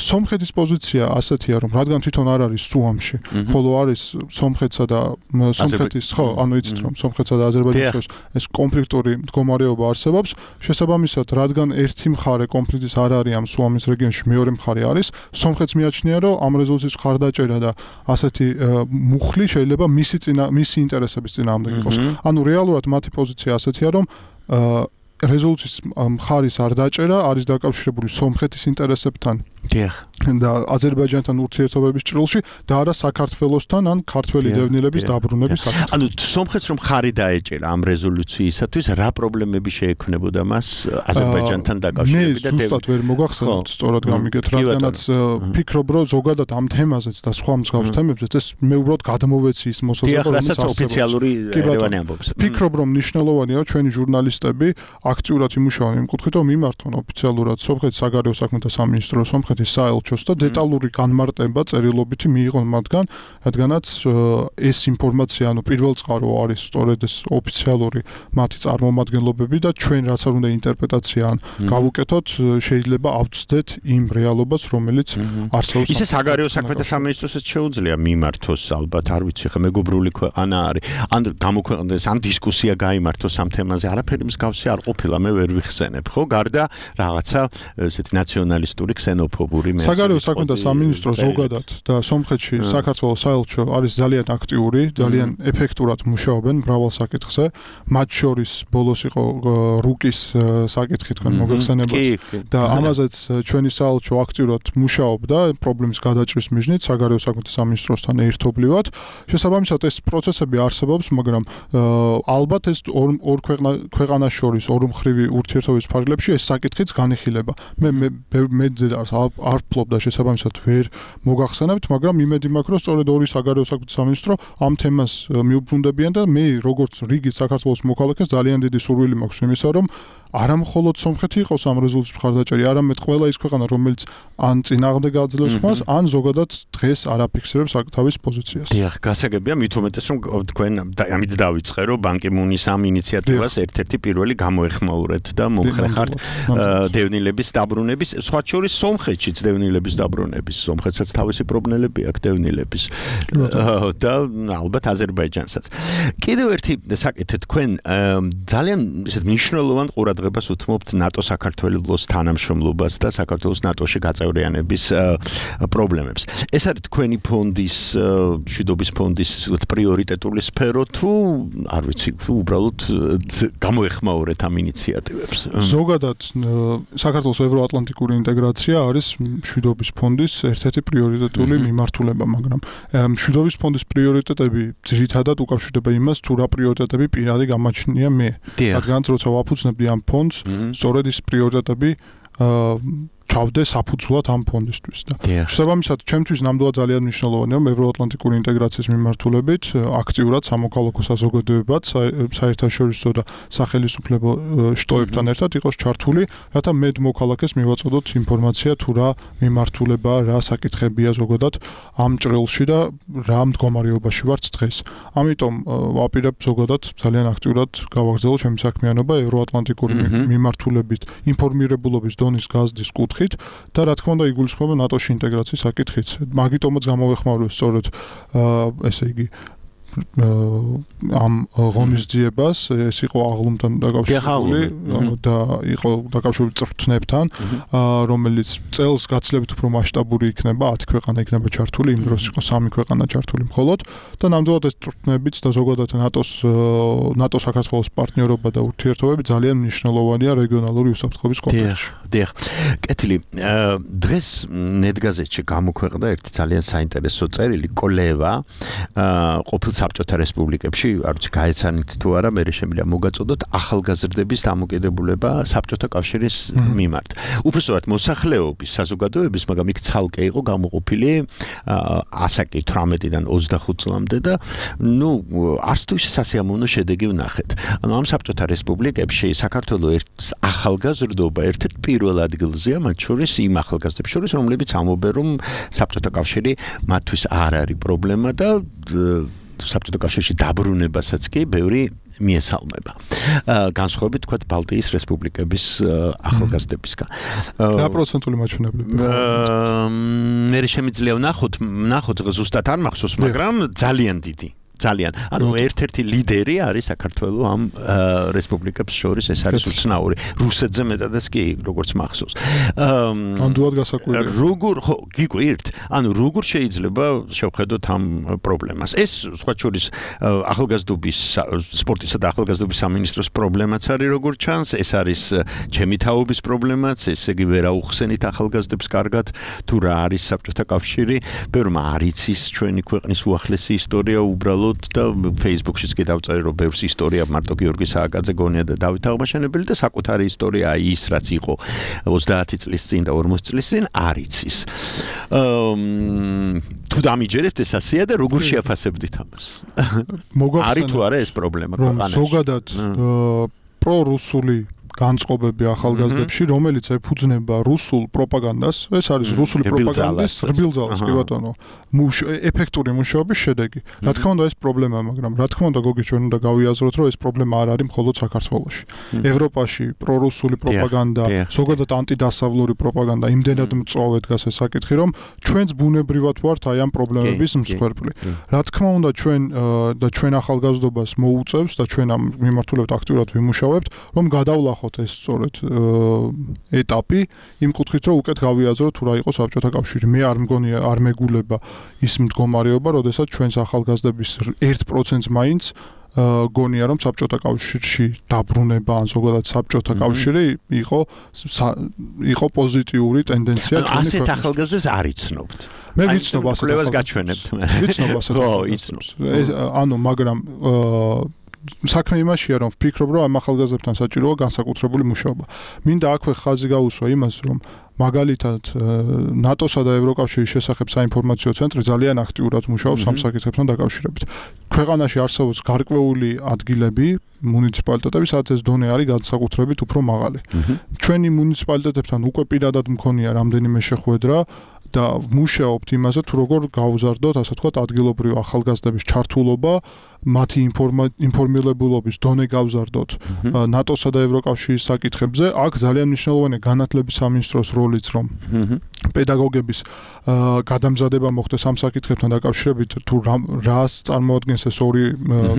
სომხეთის პოზიცია პოზიცია ასეთია, რომ რადგან თვითონ არ არის სუამში, ხოლო არის სომხეთსა და სომხეთის, ხო, ანუ იცით რომ სომხეთსა და აზერბაიჯანის შორის ეს კონფლიქტური მდგომარეობა არსებობს, შესაბამისად, რადგან ერთი მხარე კონფლიქტის არ არის ამ სუამის რეგიონში, მეორე მხარე არის, სომხეთს მიაჩნია, რომ ამ რეზოლუციის მხარდაჭერა და ასეთი მუხლი შეიძლება მისი წინა მისი ინტერესების წინააღმდეგ იყოს. ანუ რეალურად მათი პოზიცია ასეთია, რომ რეზოლუციის მხარის არ დაჭერა არის დაკავშირებული სომხეთის ინტერესებთან. დიახ. და აზერბაიჯანთან ურთიერთობების ჭრილში და არა საქართველოსთან ან ქართველი დევნილების დაბრუნების საკითხი. ანუ სომხეთს რომ ხარი დაეჭერა ამ რეზოლუციისათვის, რა პრობლემები შეექმნებოდა მას აზერბაიჯანთან დაკავშირებით და მე ზუსტად ვერ მოგახსენებთ, სწორად გამიგეთ, რადგანაც ფიქრობ, რომ ზოგადად ამ თემაზეც და სხვა მსგავს თემებზეც ეს მე უბრალოდ გადმოვეცი ის მოსაზრება, რომელიც არსებობს. ოფიციალური ერევანი ამბობს. ფიქრობ, რომ მნიშვნელოვანია ჩვენი ჟურნალისტები აქტიურად იმუშაონ იმ კუთხით, რომ მიმართონ ოფიციალურად სომხეთის საგარეო საქმეთა სამინისტრო, სომხეთის საელჩოს და დეტალური განმარტება წერილობითი მიიღონ მათგან, რადგანაც ეს ინფორმაცია, ანუ პირველწყარო არის სწორედ ეს ოფიციალური მათი წარმომადგენლობები და ჩვენ რაც არ უნდა ინტერპრეტაცია ან გავუკეთოთ, შეიძლება ავწდეთ იმ რეალობას, რომელიც არსებობს. ისე საგარეო საქმეთა სამინისტროსაც შეუძლია მიმართოს, ალბათ არ ვიცი, ხა მეგობრული ქვეყანა არის. ან გამოქვეყნდეს, ან დისკუსია გაიმართოს ამ თემაზე, არაფერი მსგავსი არ ყოფილა, მე ვერ ვიხსენებ, ხო? გარდა რაღაცა ესეთი ნაციონალისტური ქსენოფობური საგარეო საქმეთა სამინისტრო ზოგადად და სომხეთში საქართველოს საელჩო არის ძალიან აქტიური, ძალიან ეფექტურად მუშაობენ მრავალ საკითხზე. მათ შორის ბოლოს იყო რუკის საკითხი თქვენ მოგეხსენებათ და ამაზეც ჩვენი საელჩო აქტიურად მუშაობდა პრობლემის გადაჭრის მიზნით საგარეო საქმეთა სამინისტროსთან ერთობლივად. შესაბამისად ეს პროცესები არსებობს, მაგრამ ალბათ ეს ორ ორ ქვეყანას შორის ორმხრივი ურთიერთობის ფარგლებში ეს საკითხიც განიხილება. მე მე მე არ ფლობდა შესაბამისად ვერ მოგახსენებთ, მაგრამ იმედი მაქვს, რომ სწორედ ორი საგარეო საქმეთა სამინისტრო ამ თემას მიუბრუნდებიან და მე როგორც რიგით საქართველოს მოქალაქეს ძალიან დიდი სურვილი მაქვს იმისა, რომ არა მხოლოდ სომხეთი იყოს ამ რეზოლუციის მხარდაჭერი, არამედ ყველა ის ქვეყანა, რომელიც ან წინააღმდეგ აძლევს ხმას, ან ზოგადად დღეს არ აფიქსირებს თავის პოზიციას. დიახ, გასაგებია, მით უმეტეს რომ თქვენ ამით დავიწყე, რომ ბან კი მუნის ამ ინიციატივას ერთ-ერთი პირველი გამოეხმაურეთ და მომხრეხართ დევნილების დაბრუნების, სხვა შორის სომხეთშიც დევნილების დაბრუნების, სომხეთსაც თავისი პრობლემები აქვს დევნილების და ალბათ აზერბაიჯანსაც. კიდევ ერთი საკითხი, თქვენ ძალიან ისეთ მნიშვნელოვან ყურადღებას უთმობთ ნატო საქართველოს თანამშრომლობას და საქართველოს ნატოში გაწევრიანების პრობლემებს. ეს არის თქვენი ფონდის, მშვიდობის ფონდის პრიორიტეტული სფერო თუ არ ვიცი, უბრალოდ გამოეხმაურეთ ამ ინიციატივებს? ზოგადად საქართველოს ევროატლანტიკური ინტეგრაცია არის მშვიდობის ფონდის ერთ-ერთი პრიორიტეტული მიმართულება, მაგრამ მშვიდობის ფონდის პრიორიტეტები ძირითადად უკავშირდება იმას, თუ რა პრიორიტეტები პირადი გამაჩნია მე. რადგან როცა ვაფუძნებდი ამ ფონდს, სწორედ ის პრიორიტეტები ჩავდე საფუძვლად ამ ფონდისთვის და შესაბამისად ჩემთვის ნამდვილად ძალიან მნიშვნელოვანია რომ ევროატლანტიკური ინტეგრაციის მიმართულებით აქტიურად სამოქალაქო საზოგადოებაც საერთაშორისო და სახელმწიფო შტოებთან ერთად იყოს ჩართული, რათა მეტ მოქალაქეს მივაწოდოთ ინფორმაცია თუ რა მიმართულებაა, რა საკითხებია ზოგადად ამ ჭრილში და რა მდგომარეობაში ვართ დღეს. ამიტომ ვაპირებ ზოგადად ძალიან აქტიურად გავაგრძელო ჩემი საქმიანობა ევროატლანტიკური მიმართულებით ინფორმირებულობის დონის გაზრდის კუთხით და რა თქმა უნდა იგულისხმება ნატოში ინტეგრაციის საკითხიც. მაგიტომაც გამოეხმაურე სწორედ ესე იგი ამ ღონისძიებას, ეს იყო აღლუმთან დაკავშირებული და იყო დაკავშირებული წვრთნებთან, რომელიც წელს გაცილებით უფრო მასშტაბური იქნება, ათი ქვეყანა იქნება ჩართული, იმ დროს იყო სამი ქვეყანა ჩართული მხოლოდ და ნამდვილად ეს წვრთნებიც და ზოგადად ნატოს ნატო საქართველოს პარტნიორობა და ურთიერთობები ძალიან მნიშვნელოვანია რეგიონალური უსაფრთხოების კონტექსტში. დიახ. კეთილი, დღეს ნეტგაზეთში გამოქვეყნდა ერთი ძალიან საინტერესო წერილი, კოლევა, ყოფილ საბჭოთა რესპუბლიკებში, არ ვიცი, გაეცანით თუ არა, მე შემიძლია მოგაწოდოთ ახალგაზრდების დამოკიდებულება საბჭოთა კავშირის მიმართ. უბრალოდ მოსახლეობის საზოგადოების, მაგრამ იქ ცალკე იყო გამოყოფილი ასაკი თვრამეტიდან ოცდახუთ წლამდე და ნუ არც თუ ისე სასიამოვნო შედეგი ვნახეთ. ანუ ამ საბჭოთა რესპუბლიკებში საქართველოს ახალგაზრდობა ერთ-ერთ პირველ ადგილზეა, მათ შორის იმ ახალგაზრდებს შორის, რომლებიც ამბობენ, რომ საბჭოთა კავშირი მათთვის არ არის პრობლემა და საბჭოთა კავშირში დაბრუნებასაც კი ბევრი მიესალმება. განსხვავებით თქვა ბალტიის რესპუბლიკების ახალგაზრდებისგან. რა პროცენტული მაჩვენებლები? მე შემიძლია ვნახოთ, ვნახოთ ზუსტად არ მახსოვს, მაგრამ ძალიან დიდი. ძალიან. ანუ ერთ-ერთი ლიდერი არის საქართველოს ამ რესპუბლიკებს შორის, ეს არის უცნაური. რუსეთზე მეტადაც კი, როგორც მახსოვს. ამდენად გასაკვირია. როგორ ხო, გიგვირთ? ანუ როგორ შეიძლება შევხედოთ ამ პრობლემას? ეს სხვა შორის ახალგაზრდობის სპორტისა და ახალგაზრდობის სამინისტროს პრობლემაც არის, როგორც ჩანს, ეს არის ჩემი თაობის პრობლემაც, ესე იგი ვერ აუხსენით ახალგაზრდებს კარგად, თუ რა არის საბჭოთა კავშირი, ბევრმა არ იცის ჩვენი ქვეყნის უახლესი ისტორია უბრალოდ და Facebook-შიც კი დავწერე რომ ბევრს ისტორია მარტო გიორგი სააკაძე გონია და დავით აღმაშენებელი და საკუთარი ისტორია ის რაც იყო ოცდაათი წლის წინ და ორმოცი წლის წინ არ იცის. თუ დამიჯერებთ ეს ასეა და როგორ შეაფასებდით ამას? არის თუ არა ეს პრობლემა ქვეყანაში? ზოგადად პრორუსული განწყობები ახალგაზრდებში, რომელიც ეფუძნება რუსულ პროპაგანდას, ეს არის რუსული პროპაგანდის რბილძალას, კი ბატონო, ეფექტური მუშაობის შედეგი. რა თქმა უნდა, ეს პრობლემაა, მაგრამ რა თქმა უნდა, გოგი ჩვენ უნდა გავიაზროთ, რომ ეს პრობლემა არ არის მხოლოდ საქართველოში. ევროპაში პრორუსული პროპაგანდა, ზოგადად ანტიდასავლური პროპაგანდა იმდენად მწვავე დგას ეს საკითხი, რომ ჩვენც ბუნებრივად ვართ აი ამ პრობლემების მსხვერპლი. რა თქმა უნდა, ჩვენ და ჩვენ ახალგაზრდობას მოუწევს და ჩვენ ამ მიმართულებით აქტიურად ვიმუშავებთ, რომ გადავლახოთ ეს სწორედ ეტაპი იმ კუთხით რომ უკეთ გავიაზროთ თუ რა იყო საბჭოთა კავშირი. მე არ მგონია არ მეგულება ის მდგომარეობა, როდესაც ჩვენს ახალგაზრდების ერთ პროცენტს მაინც გონია რომ საბჭოთა კავშირში დაბრუნება ან ზოგადად საბჭოთა კავშირი იყო იყო პოზიტიური ტენდენცია. ასეთ ახალგაზრდებს არ იცნობთ. მე ვიცნობ ასეთ ახალგაზრდებს გაჩვენებთ. ვიცნობ ასეთ ახალგაზრდებს. ანუ მაგრამ საქმე იმაშია რომ ვფიქრობ რომ ამ ახალგაზრდებთან საჭიროა განსაკუთრებული მუშაობა. მინდა აქვე ხაზი გაუსვა იმას რომ მაგალითად ნატოსა და ევროკავშირის შესახებ საინფორმაციო ცენტრი ძალიან აქტიურად მუშაობს ამ საკითხებთან დაკავშირებით. ქვეყანაში არსებობს გარკვეული ადგილები, მუნიციპალიტეტები, სადაც ეს დონე არის განსაკუთრებით უფრო მაღალი. ჩვენი მუნიციპალიტეტებთან უკვე პირადად მქონია რამდენიმე შეხვედრა და ვმუშაობთ იმაზე თუ როგორ გავზარდოთ, ასე ვთქვათ, ადგილობრივი ახალგაზრდების ჩართულობა, მათი ინფორმირებულობის დონე გავზარდოთ ნატოსა და ევროკავშირის საკითხებზე. აქ ძალიან მნიშვნელოვანია განათლების სამინისტროს როლიც, რომ პედაგოგების გადამზადება მოხდეს ამ საკითხებთან დაკავშირებით, თუ რას წარმოადგენს ეს ორი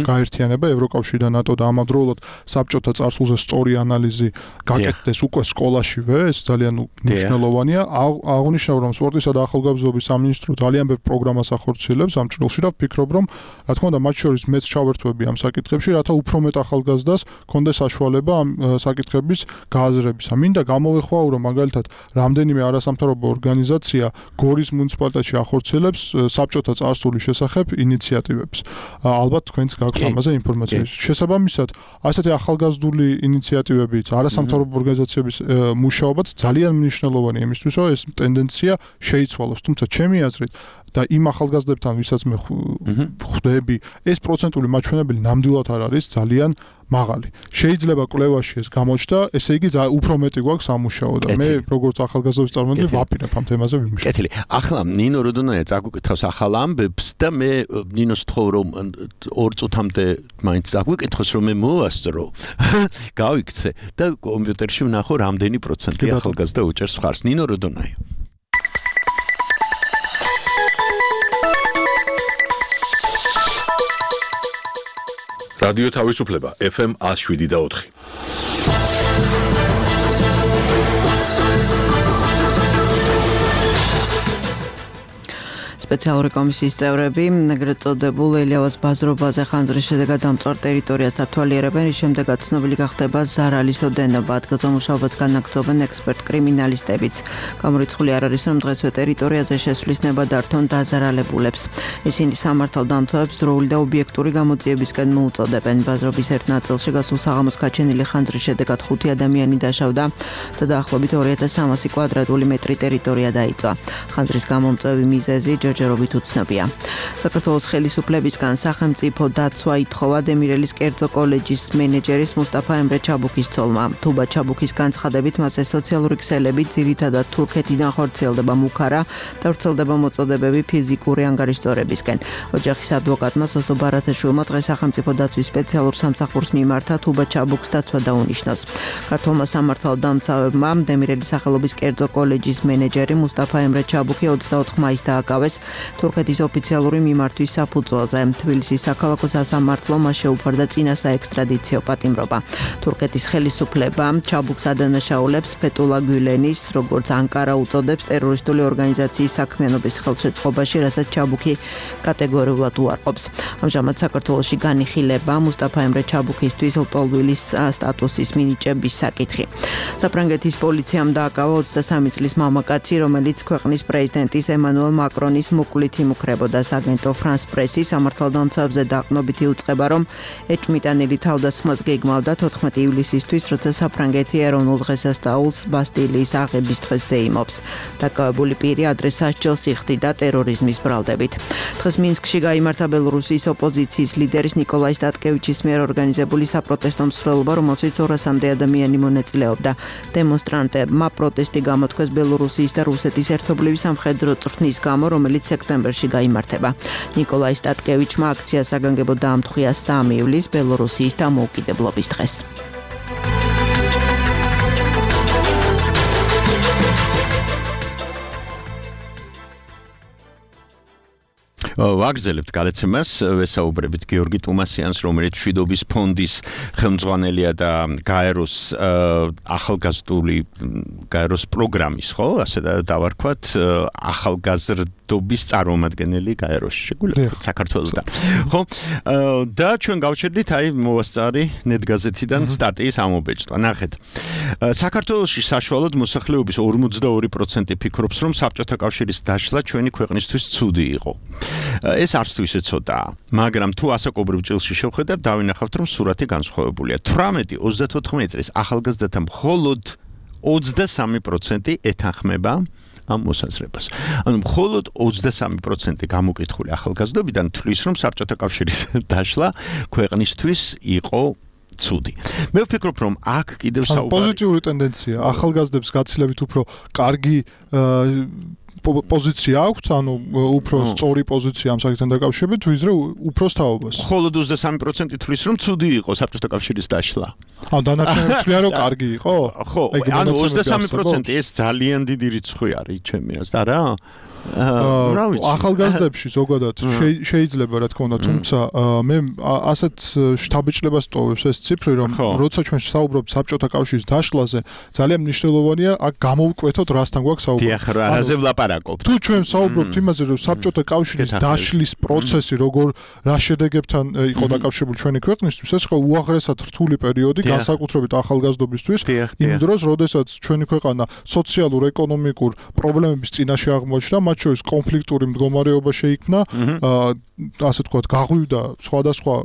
გაერთიანება, ევროკავშირი და ნატო და ამავდროულად საბჭოთა წარსულზე სწორი ანალიზი გაკეთდეს უკვე სკოლაშივე, ეს ძალიან მნიშვნელოვანია. აღნიშნავ, რომ სპორტისა და ახალგაზრდობის სამინისტრო ძალიან ბევრ პროგრამას ახორციელებს ამ ჭრილში და ვფიქრობ, რომ რა თქმა უნდა, მათ შორის მეც ჩავერთვები ამ საკითხებში, რათა უფრო მეტ ახალგაზრდას კონდეს საშუალება ამ საკითხების გააზრებისა. მინდა გამოვეხმაურო, რომ მაგალითად რამდენიმე არასამთავრობო ორგანიზაცია გორის მუნიციპალიტეტში ახორციელებს საბჭოთა წარსულის შესახებ ინიციატივებს. ალბათ თქვენც გაქვთ ამაზე ინფორმაცია. შესაბამისად, ასეთი ახალგაზრდული ინიციატივებით არასამთავრობო ორგანიზაციების მუშაობაც ძალიან მნიშვნელოვანია იმისთვის, რომ ეს ტენდენცია შეიცვალოს. თუმცა ჩემი აზრით და იმ ახალგაზრდებთან, ვისაც მე ხვდები, ეს პროცენტული მაჩვენებელი ნამდვილად არ არის ძალიან მაღალი. შეიძლება კვლევაში ეს გამოჩნდა, ესე იგი უფრო მეტი გვაქვს სამუშაო და მე როგორც ახალგაზრდობის წარმომადგენელი ვაპირებ ამ თემაზე ვიმუშავებ. კეთილი. ახლა ნინო როდონაია წაგვიკითხავს ახალ ამბებს და მე ნინოს თხოვ რომ ორ წუთამდე მაინც წაგვიკითხოს რომ მე მოვასწრო. გავიქცე და კომპიუტერში ვნახო რამდენი პროცენტი ახალგაზრდა უჭერს ხარს. ნინო როდონაია. რადიო თავისუფლება ეფ ემ one oh seven და four. სპეციალური კომისიის წევრები ეგრეთ წოდებულ ელიავას ბაზრობაზე ხანძრის შედეგად დამწვარ ტერიტორიას ათვალიერებენ, რის შემდეგაც ცნობილი გახდება ზარალის ოდენობა. ადგილზე მუშაობას განაგრძობენ ექსპერტ კრიმინალისტებიც. გამორიცხული არ არის, რომ დღესვე ტერიტორიაზე შესვლის ნება დართონ დაზარალებულებს. ისინი სამართალდამცავებს დროული და ობიექტური გამოძიებისკენ მოუწოდებენ. ბაზრობის ერთ ნაწილში გასულ საღამოს გაჩენილი ხანძრის შედეგად ხუთი ადამიანი დაშავდა და დაახლოებით ორი ათას სამასი კვადრატული მეტრი ტერიტორია დაიწვა. ხანძრის გამომწვევი მიზეზი ჯერჯერობით ჯერჯერობით უცნობია. საქართველოს ხელისუფლებისგან სახელმწიფო დაცვა ითხოვა დემირელის კერძო კოლეჯის მენეჯერის მუსტაფა ემრე ჩაბუქის ცოლმა. თუბა ჩაბუქის განცხადებით მასზე სოციალური ქსელები ძირითადად თურქეთიდან ხორციელდება მუქარა და ვრცელდება მოწოდებები ფიზიკური ანგარიშწორებისკენ. ოჯახის ადვოკატმა სოსო ბარათაშვილმა დღეს სახელმწიფო დაცვის სპეციალურ სამსახურს მიმართა თუბა ჩაბუქს დაცვა დაუნიშნოს. ქართულმა სამართალ დამცავებმა დემირელის სახელობის კერძო კოლეჯის მენეჯერი მუსტაფა ემრე ჩაბუქი ოცდაოთხ მაისს დააკავეს თურქეთის ოფიციალური მიმართვის საფუძველზე. თბილისის საქალაქო სასამართლომ მას შეუფარდა წინა საექსტრადიციო პატიმრობა. თურქეთის ხელისუფლება ჩაბუქს ადანაშაულებს ფეტულა გულენის, როგორც ანკარა უწოდებს, ტერორისტული ორგანიზაციის საქმიანობის ხელშეწყობაში, რასაც ჩაბუქი კატეგორიულად უარყოფს. ამჟამად საქართველოში განიხილება მუსტაფა ემრე ჩაბუქისთვის ლტოლვილის სტატუსის მინიჭების საკითხი. საფრანგეთის პოლიციამ დააკავა ოცდასამი წლის მამაკაცი, რომელიც ქვეყნის პრეზიდენტის ემანუელ მაკრონის მოკლით იმუქრებოდა. აგენტო ფრანს პრესი სამართალდამცავებზე დაყრდნობით იუწყება, რომ ეჭვმიტანილი თავდასხმას გეგმავდა თოთხმეტი ივლისისთვის, როცა საფრანგეთი ეროვნულ დღესასწაულს ბასტილიის აღების დღეს ეიმობს. დაკავებული პირი ადრეს სასჯელს იხდიდა ტერორიზმის ბრალდებით. დღეს მინსკში გაიმართა ბელორუსიის ოპოზიციის ლიდერის ნიკოლაი სტატკევიჩის მიერ ორგანიზებული საპროტესტო მსვლელობა, რომელშიც ორასამდე ადამიანი მონაწილეობდა. დემონსტრანტებმა პროტესტი გამოთქვეს ბელორუსიის და რუსეთის ერთობლივი სამხედრო წვრთნის გამო, რომელიც სექტემბერში გაიმართება. ნიკოლაი სტატკევიჩმა აქციას საგანგებოდ დაამტყვია სამი ივლისს ბელორუსიის დამოუკიდებლობის დღეს. ვაგრძელებთ გადაცემას, ვესაუბრებით გიორგი ტუმასიანს, რომელიც მშვიდობის ფონდის ხელმძღვანელია და გაეროს ახალგაზრდული გაეროს პროგრამის, ხო, ასე დავარქვათ, ახალგაზრდობის წარმომადგენელი გაეროში, შეგვიძლია საქართველოსთან. ხო, და ჩვენ გავჩერდით აი მოვასწარი ნეტგაზეთიდან სტატიის ამობეჭდვა. ნახეთ. საქართველოში საშუალოდ მოსახლეობის ორმოცდაორი პროცენტი ფიქრობს, რომ საბჭოთა კავშირის დაშლა ჩვენი ქვეყნისთვის ცუდი იყო. ეს არც თუ ისე ცოტაა, მაგრამ თუ ასაკობრივ ჭილში შევხედავთ, დავინახავთ, რომ სურათი განსხვავებულია. თვრამეტი ოცდათოთხმეტი წლის ახალგაზრდათა მხოლოდ ოცდასამი პროცენტი ეთანხმება ამ მოსაზრებას. ანუ მხოლოდ ოცდასამი პროცენტი გამოკითხული ახალგაზრდობიდან თვლის, რომ საბჭოთა კავშირის დაშლა ქვეყნისთვის იყო ცუდი. მე ვფიქრობ, რომ აქ კიდევ საუბარი პოზიტიური ტენდენცია, ახალგაზრდებს გაცილებით უფრო კარგი პოზიცია აქვს, ანუ უფრო სწორი პოზიცია ამ საკითხთან დაკავშირებით, ვიდრე უფროსთაობას. მხოლოდ ოცდასამი პროცენტი თვლის, რომ ცუდი იყო საბჭოთა კავშირის დაშლა. ანუ დანარჩენები თვლიან, რომ კარგი იყო? ხო, ანუ ოცდასამი პროცენტი ეს ძალიან დიდი რიცხვი არის ჩემი აზრით, არა? ახალგაზრდებში ზოგადად შეიძლება რა თქმა უნდა, თუმცა მე ასეთ შთაბეჭდებას ტოვებს ეს ციფრი, რომ როცა ჩვენ საუბრობთ საბჭოთა კავშირის დაშლაზე, ძალიან მნიშვნელოვანია აქ გამოვკვეთოთ რასთან გვაქვს საუბარი. დიახ, რაზე ვლაპარაკობთ? თუ ჩვენ საუბრობთ იმაზე, რომ საბჭოთა კავშირის დაშლის პროცესი როგორ რა შედეგებთან იყო დაკავშირებული ჩვენი ქვეყნისთვის, ეს იყო უაღრესად რთული პერიოდი, განსაკუთრებით ახალგაზრდობისთვის, იმ დროს, როდესაც ჩვენი ქვეყანა სოციალურ-ეკონომიკურ პრობლემების წინაშე აღმოჩნდა, მათ შორის კონფლიქტური მდგომარეობა შეიქმნა, ასე ვთქვათ, გაღვივდა სხვადასხვა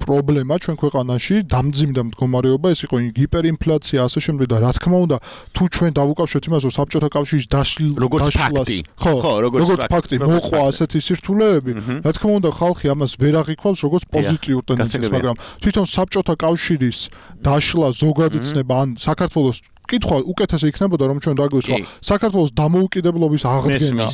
პრობლემა ჩვენ ქვეყანაში, დამძიმდა მდგომარეობა, ეს იყო ჰიპერინფლაცია, ასე შემდეგ და რა თქმა უნდა, თუ ჩვენ დავუკავშირებთ იმას, რომ საბჭოთა კავშირის დაშლას, ხო, როგორც ფაქტი მოყვა ასეთი სირთულეები, რა თქმა უნდა, ხალხი ამას ვერ აღიქვავს როგორც პოზიტიურ ტენდენციას, მაგრამ თვითონ საბჭოთა კავშირის დაშლა ზოგადიცნება ან საქართველოს კითხვა უკეთესი იქნებოდა, რომ ჩვენ დაგვესვა საქართველოს დამოუკიდებლობის აღდგენა.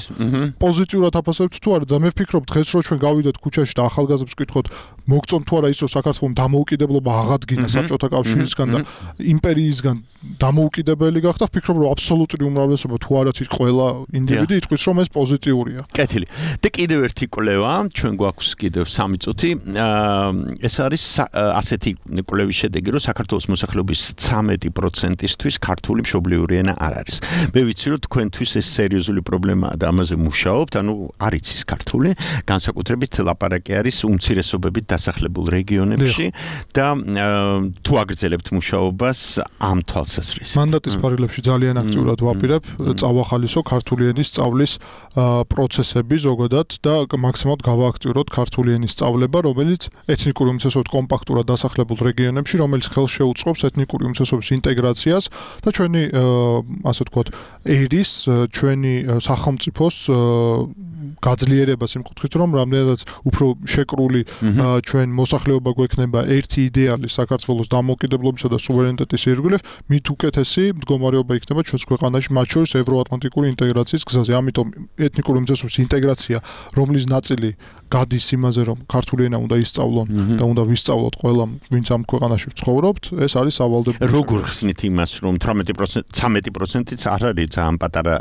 პოზიტიურად აფასებთ თუ არა? და მე ვფიქრობ, დღეს რო ჩვენ გავიდეთ ქუჩაში და ახალგაზრდებს ვკითხოთ, მოგწონთ თუ არა ის, რომ საქართველოს დამოუკიდებლობა აღადგინა საბჭოთა კავშირისგან და იმპერიისგან დამოუკიდებელი გახდა, ვფიქრობ, რომ აბსოლუტური უმრავლესობა თუ არა თვით ყველა ინდივიდი იტყვის, რომ ეს პოზიტიურია. კეთილი. და კიდევ ერთი კვლევა, ჩვენ გვაქვს კიდევ სამი წუთი. ეს არის ასეთი კვლევის შედეგი, რომ საქართველოს მოსახლეობის ცამეტი პროცენტისთვის ქართული მშობლიური ენა არ არის. მე ვიცი, რომ თქვენთვის ეს სერიოზული პრობლემაა და ამაზე მუშაობთ, ანუ არ იცის ქართული, განსაკუთრებით ლაპარაკი არის უმცირესობებით დასახლებულ რეგიონებში და თუ აგრძელებთ მუშაობას ამ თვალსაზრისით. მანდატის ფარგლებში ძალიან აქტიურად ვაპირებ, წავახალისო ქართული ენის სწავლის პროცესები ზოგადად და მაქსიმალურად გავააქტიუროთ ქართული ენის სწავლება, რომელიც ეთნიკური უმცირესობებით კომპაქტურად დასახლებულ რეგიონებში, რომელიც ხელს შეუწყობს ეთნიკური უმცირესობების ინტეგრაციას და ჩვენი ასე ვთქვათ, ერის, ჩვენი სახელმწიფოს გაძლიერებას იმ კუთხით, რომ რამდენადაც უფრო შეკრული ჩვენ მოსახლეობა გვექნება ერთი იდეალი საქართველოს დამოუკიდებლობისა და სუვერენიტეტის ირგვლივ, მით უკეთესი მდგომარეობა იქნება ჩვენს ქვეყანაში, მათ შორის ევროატლანტიკური ინტეგრაციის გზაზე. ამიტომ ეთნიკური უმცირესობის ინტეგრაცია, რომლის ნაწილი გადის იმაზე, რომ ქართული ენა უნდა ისწავლონ და უნდა ვისწავლოთ ყველა, ვინც ამ ქვეყანაში ვცხოვრობთ, ეს არის სავალდებულო. როგორ ხსნით იმას, რომ თვრამეტი პროცენტი ცამეტი პროცენტიც არ არის ძალიან პატარა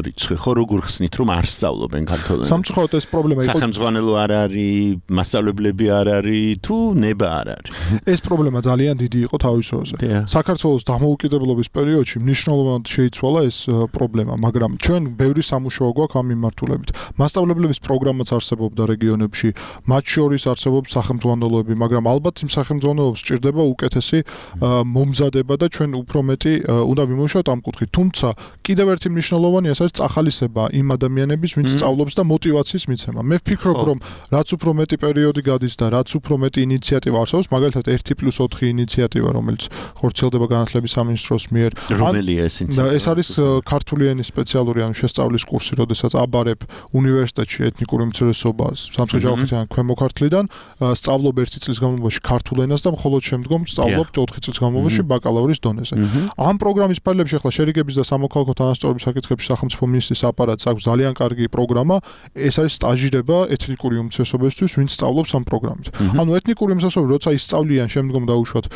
რიცხვი, ხო როგორ ხსნით, რომ არ სწავლობენ ქართულ ენას? სამწუხაროდ ეს პრობლემა იყო. სახელმძღვანელო არ არის, მასწავლებლები არ არის, თუ ნება არ არის. ეს პრობლემა ძალიან დიდი იყო თავის დროზე. საქართველოს დამოუკიდებლობის პერიოდში მნიშვნელოვნად შეიცვალა ეს პრობლემა, მაგრამ ჩვენ ბევრი სამუშაო გვაქვს ამ მიმართულებით. მასწავლებლების პროგრამაც არსებობდა რეგიონებში, მათ შორის არსებობს სახელმძღვანელოები, მაგრამ ალბათ იმ სახელმძღვანელოებს სჭირდება უკეთესი მომზადება და ჩვენ უფრო მეტი უნდა ვიმუშაოთ ამ კუთხით. თუმცა კიდევ ერთი მნიშვნელოვანი ეს არის წახალისება იმ ადამიანების, ვინც სწავლობს და мотиваციის მიცემა. მე ვფიქრობ, რომ რაც უფრო მეტი პერიოდი გადის და რაც უფრო მეტი ინიციატივა არსებობს, მაგალითად ერთი პლუს ოთხი ინიციატივა, რომელიც ხორციელდება განათლების სამინისტროს მიერ. რომელია ეს ინიციატივა? ეს არის ქართული ენის სპეციალური ანუ შესწავლის კურსი, როდესაც აბარებ უნივერსიტეტში ეთნიკური უმცირესობას სამცხე-ჯავახეთიდან ქვემო ქართლიდან სწავლობ ერთი წლის განმავლობაში ქართულ ენას და მხოლოდ შემდგომ სწავლობ ოთხი წლის განმავლობაში ბაკალავრის დონეზე. ამ პროგრამის ფარგლებში ახლა შერიგების და სამოქალაქო თანასწორობის საკითხებში სახელმწიფო მინისტრის აპარატს აქვს ძალიან კარგი პროგრამა, ეს არის სტაჟირება ეთნიკური უმცირესობისთვის, ვინც სწავლობს ამ პროგრამით. ანუ ეთნიკური უმცირესობები როცა ისწავლიან შემდგომ დაუშვათ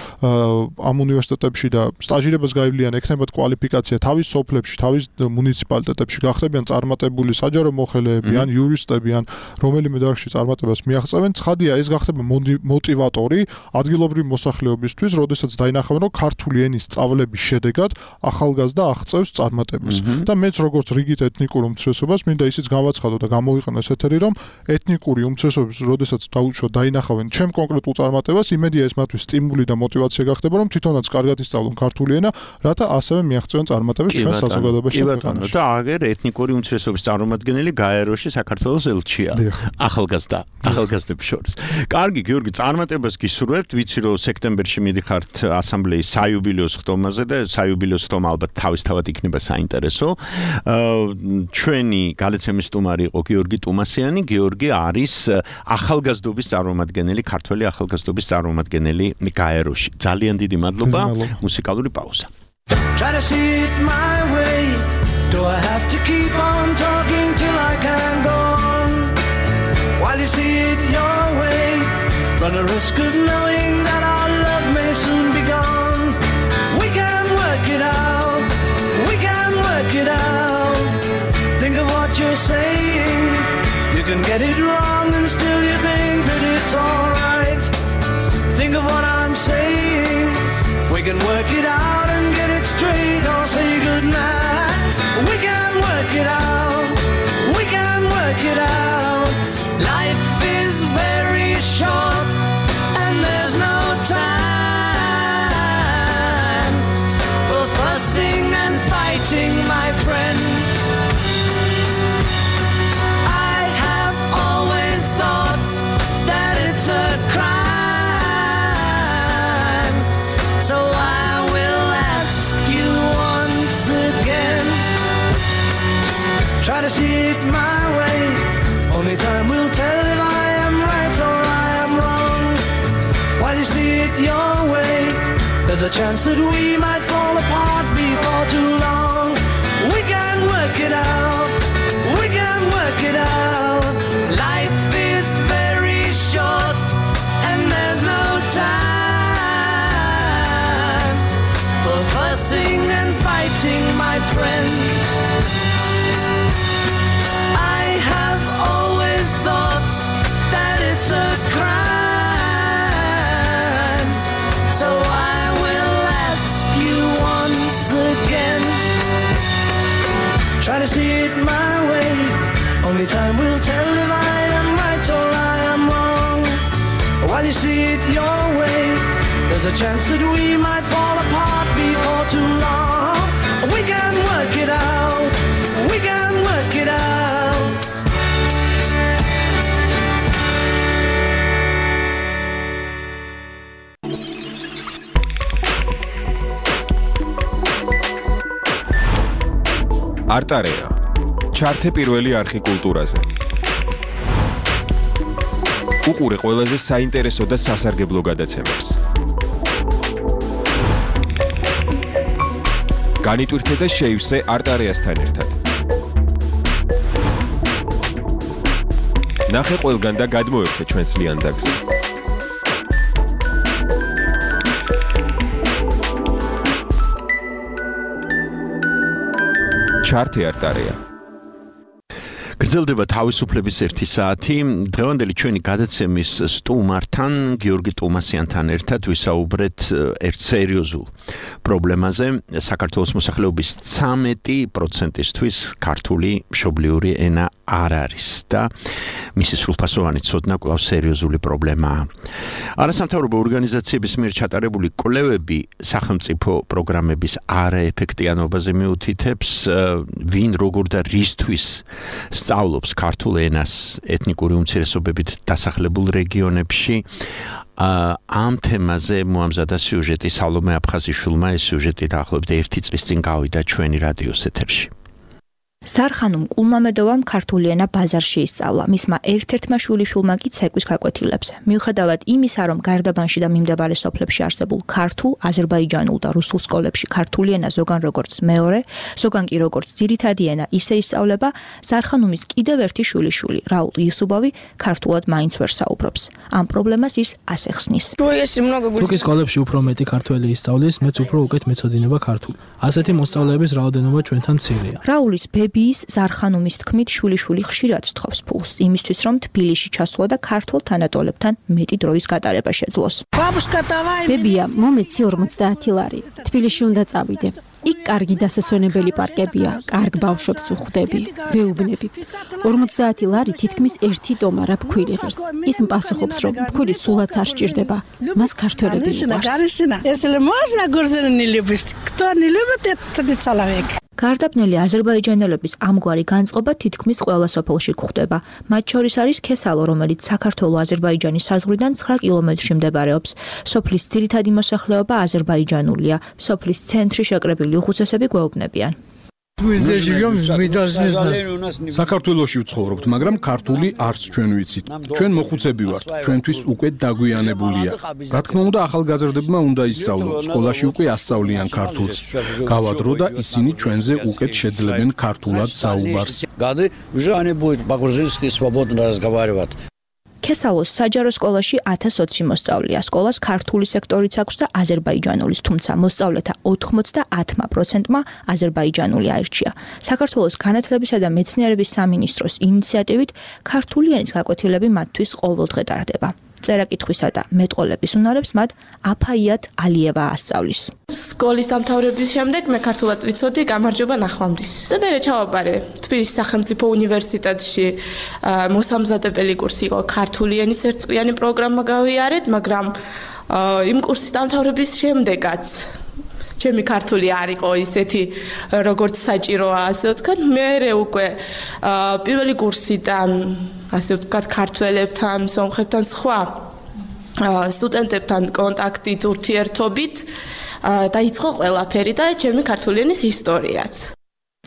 ამ უნივერსიტეტებში და სტაჟირებას გაივლიან, ექნებათ კვალიფიკაცია თავის სოფლებში, თავის მუნიციპალიტეტებში, გახდებიან წარმატებული საჯარო მოხელეები ან იურისტები ან რომელიმე დარგში წარმატებას მიაღწევენ, ცხადია ეს გახდება мотиваტორი ადგილობრივი მოსახლეობისთვის, როდესაც დაინახავენ, რომ ქართული ენის სწავლების შედეგად ახალგაზრდა აღწევს წარმატებას. და მეც როგორც რიგით ეთნიკურ უმცირესობას მინდა ისიც გავაცხადო და გამოვიყენო ეს ეთერი, რომ ეთნიკური უმცირესობების როდესაც დაუშვათ დაინახავენ ჩემ კონკრეტულ წარმატებას, იმედია ეს მათთვის სტიმული და мотиваცია გახდება, რომ თვითონაც კარგად ისწავლონ ქართული ენა, რათა ასევე მიაღწევენ წარმატებას ჩვენ საზოგადოებაში და ქვეყანაში. და აგერ ეთნიკური უმცირესობის წარმომადგენელი გაეროში საქართველოს ელჩია. ახალგაზრდა, ახალგაზრდებს შორის. კარგი, გიორგი, წარმატებას გისურვებთ. ვიცი, რომ სექტემბერში მიდიხართ ასამბლეის საიუბილეო ხტომაზე და საიუბილეო ხტომა ალბათ თავისთავად იქნება საინტერესო. ჩვენი გალეცემის სტუმარი იყო გიორგი ტუმასიანი. გიორგი არის ახალგაზრდობის წარმომადგენელი, ქართველი ახალგაზრდობის წარმომადგენელი გაეროში. ძალიან დიდი მადლობა. მუსიკალური პაუზა. Try to see it my way. Do I have to keep on talking till I can go on? While you see it your way, run a risk of knowing that our love may soon be gone. We can work it out, we can work it out. Think of what you're saying. You can get it wrong and still you think that it's alright. Think of what I'm saying. We can work it out and get it straight or say goodnight. We can work it out, we can work it out. Life is very short and there's no time for fussing and fighting, my friend. I have always thought that it's a crime, so I will ask you once again. Try to see it my way. Only time will tell if I am right or I am wrong. While you see it your way, there's a chance that we might fall apart before too long. We can work it out, we can work it out. Life is very short and there's no time for fussing and fighting, my friend. I have always thought that it's a crime, so I will ask you once again. Try to see it my way. Only time will tell if I am right or I am wrong. While you see it your way, there's a chance that we might fall apart before too long. We can work it out, we can work it out. არტარეა ჩართე პირველი არხი კულტურაზე. უყურე ყველაზე საინტერესო და სასარგებლო გადაცემებს. განიტვირთე და შეივსე არტარიასთან ერთად. ნახე ყველგან და გადმოერთე ჩვენს ლიანდაგზე. ჩართე არტარია. გრძელდება თავისუფლების ერთი საათი. დღევანდელი ჩვენი გადაცემის სტუმართან, გიორგი ტუმასიანთან ერთად ვისაუბრეთ ერთ სერიოზულ პრობლემაზე. საქართველოს მოსახლეობის ცამეტი პროცენტისთვის ქართული მშობლიური ენა არ არის და მისი სრულფასოვანი ცოდნა კვლავ სერიოზული პრობლემაა. არასამთავრობო ორგანიზაციების მიერ ჩატარებული კვლევები სახელმწიფო პროგრამების არაეფექტიანობაზე მიუთითებს, ვინ როგორ და რისთვის სწავლობს ქართულ ენას ეთნიკური უმცირესობებით დასახლებულ რეგიონებში. ამ თემაზე მოამზადა სიუჟეტი სალომე აფხაზიშვილმა. ეს სიუჟეტი დაახლოებით ერთი წლის წინ გავიდა ჩვენი რადიოს ეთერში. სარხანუმ კულმამედოვამ ქართული ენა ბაზარში ისწავლა. მისმა ერთ-ერთმა შვილიშვილმა კი ცეკვის გაკვეთილებს. მიუხედავად იმისა, რომ გარდაბანში და მიმდებარე სოფლებში არსებულ ქართულ, აზერბაიჯანულ და რუსულ სკოლებში ქართული ენა ზოგან როგორც მეორე, ზოგან კი როგორც ძირითადი ენა ისე ისწავლება, სარხანუმის კიდევ ერთი შვილიშვილი, რაულ იუსუბოვი, ქართულად მაინც ვერ საუბრობს. ამ პრობლემას ის ასე ხსნის. თუკი სკოლებში უფრო მეტი ქართველი ისწავლის, მეც უფრო უკეთ მეცოდინება ქართული. ასეთი მოსწავლეების რაოდენობა ჩვენთან მცირეა. რაულის ბებიის ზარხანუმის თქმით შვილიშვილი ხშირად სთხოვს ფულს იმისთვის, რომ თბილისში ჩასვლა და ქართულ თანატოლებთან მეტი დროის გატარება შეძლოს. ბებია, მომეცი ორმოცდაათი ლარი. თბილისში უნდა წავიდე. იქ კარგი დასასვენებელი პარკებია, კარგ ბავშვებს ვხვდები, ვეუბნები. ორმოცდაათი ლარი თითქმის ერთი ტომარა ფქვილი ღირს. ის პასუხობს, რომ ფქვილი სულაც არ სჭირდება. მას ქართველები უყვარს. გარდაბნელი აზერბაიჯანელების ამგვარი განწყობა თითქმის ყველა სოფელში გვხვდება. მათ შორის არის ქესალო, რომელიც საქართველო-აზერბაიჯანის საზღვრიდან ცხრა კილომეტრში მდებარეობს. სოფლის ძირითადი მოსახლეობა აზერბაიჯანულია. სოფლის ცენტრში შეკრებილი უხუცესები გვეუბნებიან. საქართველოში ვცხოვრობთ, მაგრამ ქართული არც ჩვენ ვიცით. ჩვენ მოხუცები ვართ, ჩვენთვის უკვე დაგვიანებულია. რა თქმა უნდა, ახალგაზრდებმა უნდა ისწავლონ, სკოლაში უკვე ასწავლიან ქართულს. გავადრო და ისინი ჩვენზე უკეთ შეძლებენ ქართულად საუბარს. ქესალოს საჯარო სკოლაში ათას ოცი მოსწავლეა. სკოლას ქართული სექტორიც აქვს და აზერბაიჯანულის, თუმცა მოსწავლეთა ოცდაათი პროცენტმა აზერბაიჯანული აირჩია. საქართველოს განათლებისა და მეცნიერების სამინისტროს ინიციატივით ქართული ენის გაკვეთილები მათთვის ყოველდღე ტარდება. წერა-კითხვისა და მეტყოლების უნარებს მათ აფაიათ ალიევა ასწავლის. სკოლის დამთავრების შემდეგ მე ქართულად ვიცოდი, გამარჯობა ნახვამდის. და მე ჩავაბარე თბილისის სახელმწიფო უნივერსიტეტში მოსამზადებელი კურსი იყო ქართული ენის ერთწლიანი პროგრამა გავიარეთ, მაგრამ იმ კურსის დამთავრების შემდეგაც ჩემი ქართული არ იყო ისეთი როგორც საჭიროა, ასე ვთქვათ, მე უკვე პირველი კურსიდან ასე ვთქვათ ქართველებთან, სომხებთან სხვა სტუდენტებთან კონტაქტით, ურთიერთობით დაიწყო ყველაფერი და ჩემი ქართული ენის ისტორიაც.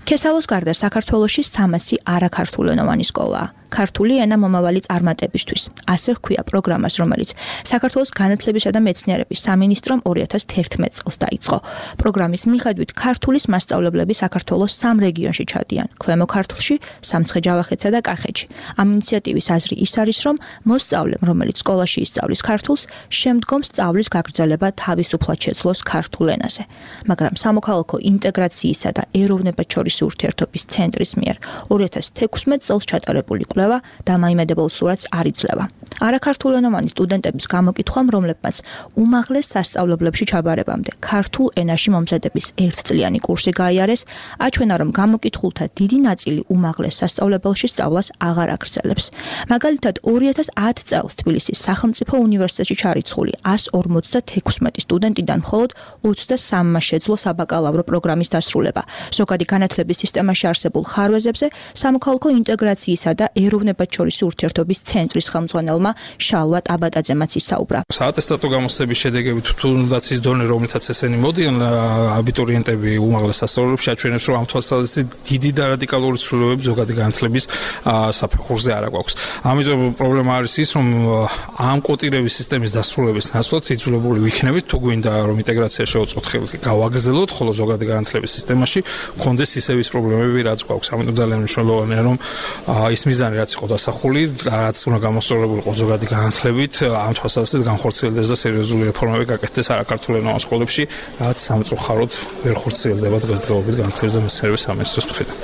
ქესალოს გარდა საქართველოში სამასი არაქართულენოვანი სკოლაა. ქართული ენა მომავალი წარმატებისთვის. ასე ჰქვია პროგრამას, რომელიც საქართველოს განათლებისა და მეცნიერების სამინისტრომ ორი ათას თერთმეტ წელს დაიწყო. პროგრამის მიხედვით ქართულის მასწავლებლები საქართველოს სამ რეგიონში ჩადიან: ქვემო ქართლში, სამცხე-ჯავახეთსა და კახეთში. ამ ინიციატივის აზრი ის არის, რომ მოსწავლემ, რომელიც სკოლაში ისწავლის ქართულს, შემდგომ სწავლის გაგრძელება თავისუფლად შეძლოს ქართულ ენაზე. მაგრამ სამოქალაქო ინტეგრაციისა და ეროვნებად შორისი ურთიერთობის ცენტრის მიერ ორი ათას თექვსმეტ წელს ჩატარებული კვლევა დამაიმედებელ სურათს არ იძლევა. არაქართულენოვანი სტუდენტების გამოკითხვამ, რომლებმაც უმაღლეს სასწავლებლებში ჩაბარებამდე ქართულ ენაში მომზადების ერთწლიანი კურსი გაიარეს, აჩვენა, რომ გამოკითხულთა დიდი ნაწილი უმაღლეს სასწავლებელში სწავლას აღარ აგრძელებს. მაგალითად, ორი ათას ათი წელს თბილისის სახელმწიფო უნივერსიტეტში ჩარიცხული ასი ორმოცდათექვსმეტი სტუდენტიდან მხოლოდ ოცდასამმა შეძლო საბაკალავრო პროგრამის დასრულება. ზოგადი განათლების სისტემაში არსებულ ხარვეზებზე სამოქალაქო ინტეგრაციისა და ეროვნებათშორისი ურთიერთობის ცენტრის ხელმძღვანელმა შალვა ტაბატაძემაც ისაუბრა. საატესტატო გამოცდების შედეგებით თუნდაც ის დონე, რომლითაც ესენი მოდიან აბიტურიენტები უმაღლეს სასწავლებლებში აჩვენებს, რომ ამ თვალსაზრისით დიდი და რადიკალური ცვლილებები ზოგადი განათლების საფეხურზე არ აქვს. ამიტომ პრობლემა არის ის, რომ ამ კოტირების სისტემის დასრულების ნაცვლად იძულებული ვიქნებით, თუ გვინდა რომ ინტეგრაცია შეუწყოთ ხელს გავაგრძელოთ, ხოლო ზოგადი განათლების სისტემაში გქონდეს ისევ ის პრობლემები, რაც გვაქვს. ამიტომ ძალიან მნიშვნელოვანია, რომ ის მიზანი რაც იყო დასახული, რაც უნდა გამოსწორებულიყო ზოგადი განათლებით, ამ თვალსაზრისით განხორციელდეს და სერიოზული რეფორმები გაკეთდეს არაქართულენოვან სკოლებში, რაც სამწუხაროდ ვერ ხორციელდება დღესდღეობით განათლების და მეცნიერების სამინისტროს მხრიდან.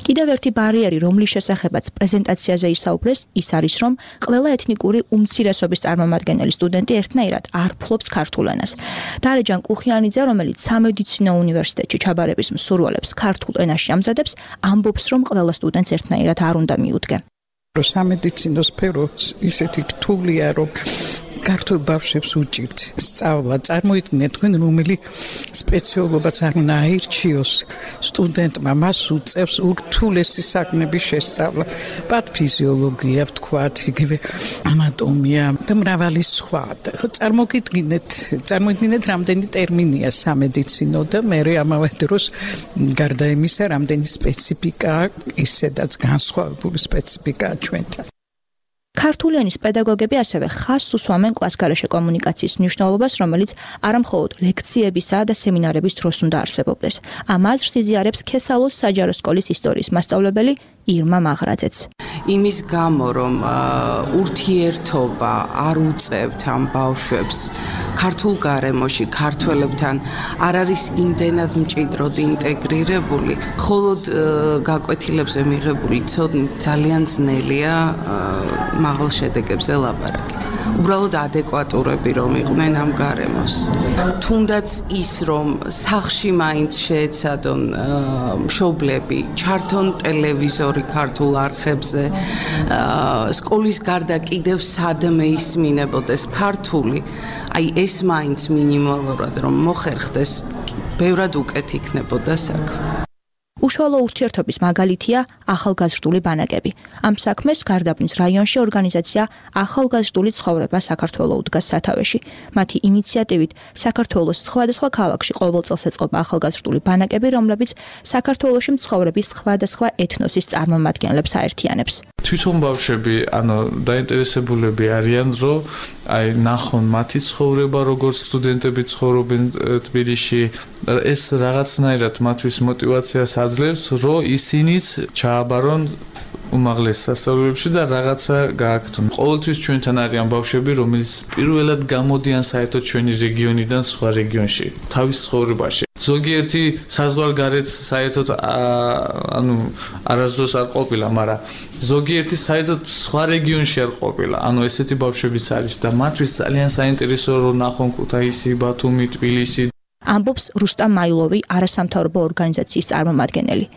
კიდევ ერთი ბარიერი, რომლის შესახებაც პრეზენტაციაზე ისაუბრეს, ის არის, რომ ყველა ეთნიკური უმცირესობის წარმომადგენელი სტუდენტი ერთნაირად არ ფლობს ქართულ ენას. დარეჯან კუხიანიძე, რომელიც სამედიცინო უნივერსიტეტში ჩაბარების მსურველებს ქართულ ენაში ამზადებს, ამბობს, რომ ყველა სტუდენტს ერთნაირად არ უნდა მიუდგე. სამედიცინო სფერო ისეთი რთულია, რომ ქართულ ბავშვებს უჭირთ სწავლა. წარმოიდგინეთ თქვენ, რომელი სპეციალობაც არ უნდა აირჩიოს სტუდენტმა, მას უწევს ურთულესი საქმების შესწავლა, პათოფიზიოლოგია, ვთქვათ, იგივე ანატომია და მრავალი სხვა. წარმოგიდგინეთ, წარმოგიდგინეთ, რამდენი ტერმინია სამედიცინო და მე ამავე დროს გარდა იმისა, რამდენი სპეციფიკა, ისედაც განსხვავებული სპეციფიკაა ჩვენთან. ქართული ენის პედაგოგები ასევე ხაზს უსვამენ კლასგარეშე კომუნიკაციის მნიშვნელობას, რომელიც არამხოლოდ ლექციებისა და სემინარების დროს უნდა არსებობდეს. ამ აზრს იზიარებს ქესალოს საჯარო სკოლის ისტორიის მასწავლებელი ირმა მაღრაძეც. იმის გამო, რომ ურთიერთობა არ უწევთ ამ ბავშვებს ქართულ გარემოში, ქართველებთან არ არის იმდენად მჭიდროდ ინტეგრირებული, მხოლოდ გაკვეთილებზე მიღებული ცოდნით ძალიან ძნელია მაღალ შედეგებზე ლაპარაკი. უბრალოდ ადეკვატურები რომ იყვნენ ამ გარემოს. თუნდაც ის, რომ სახლში მაინც შეეცადონ მშობლები, ჩართონ ტელევიზორი ქართულ არხებზე, სკოლის გარდა კიდევ სადმე ისმინებოდეს ქართული, აი ეს მაინც მინიმალურად რომ მოხერხდეს, ბევრად უკეთ იქნებოდა საქმე. უშუალო ურთიერთობის მაგალითია ახალგაზრდული ბანაკები. ამ საქმეს გარდაბნის რაიონში ორგანიზაცია ახალგაზრდული ცხოვრება საქართველოს უდგას სათავეში. მათი ინიციატივით საქართველოს სხვადასხვა ქალაქში ყოველ წელს ეწყობა ახალგაზრდული ბანაკები, რომლებიც საქართველოში მცხოვრების სხვადასხვა ეთნოსის წარმომადგენლებს აერთიანებს. თვითონ ბავშვები, ანუ დაინტერესებულები არიან, რომ აი ნახონ მათი ცხოვრება, როგორც სტუდენტები ცხოვრობენ თბილისში, ეს რაღაცნაირად მათთვის მოტივაციას აძლევს, რომ ისინიც ჩააბარონ უმაღლეს სასწავლებლებში და რაღაცა გააკეთონ. ყოველთვის ჩვენთან არიან ბავშვები, რომელიც პირველად გამოდიან საერთოდ ჩვენი რეგიონიდან სხვა რეგიონში, თავის ცხოვრებაში. ზოგიერთი საზღვარგარეთ საერთოდ ანუ არასდროს არ ყოფილა, მაგრამ ზოგიერთი საერთოდ სხვა რეგიონში არ ყოფილა. ანუ ესეთი ბავშვებიც არის და მათთვის ძალიან საინტერესოა რომ ნახონ ქუთაისი, ბათუმი, თბილისი. ამბობს რუსტამ მაილოვი, არასამთავრობო ორგანიზაციის წარმომადგენელი.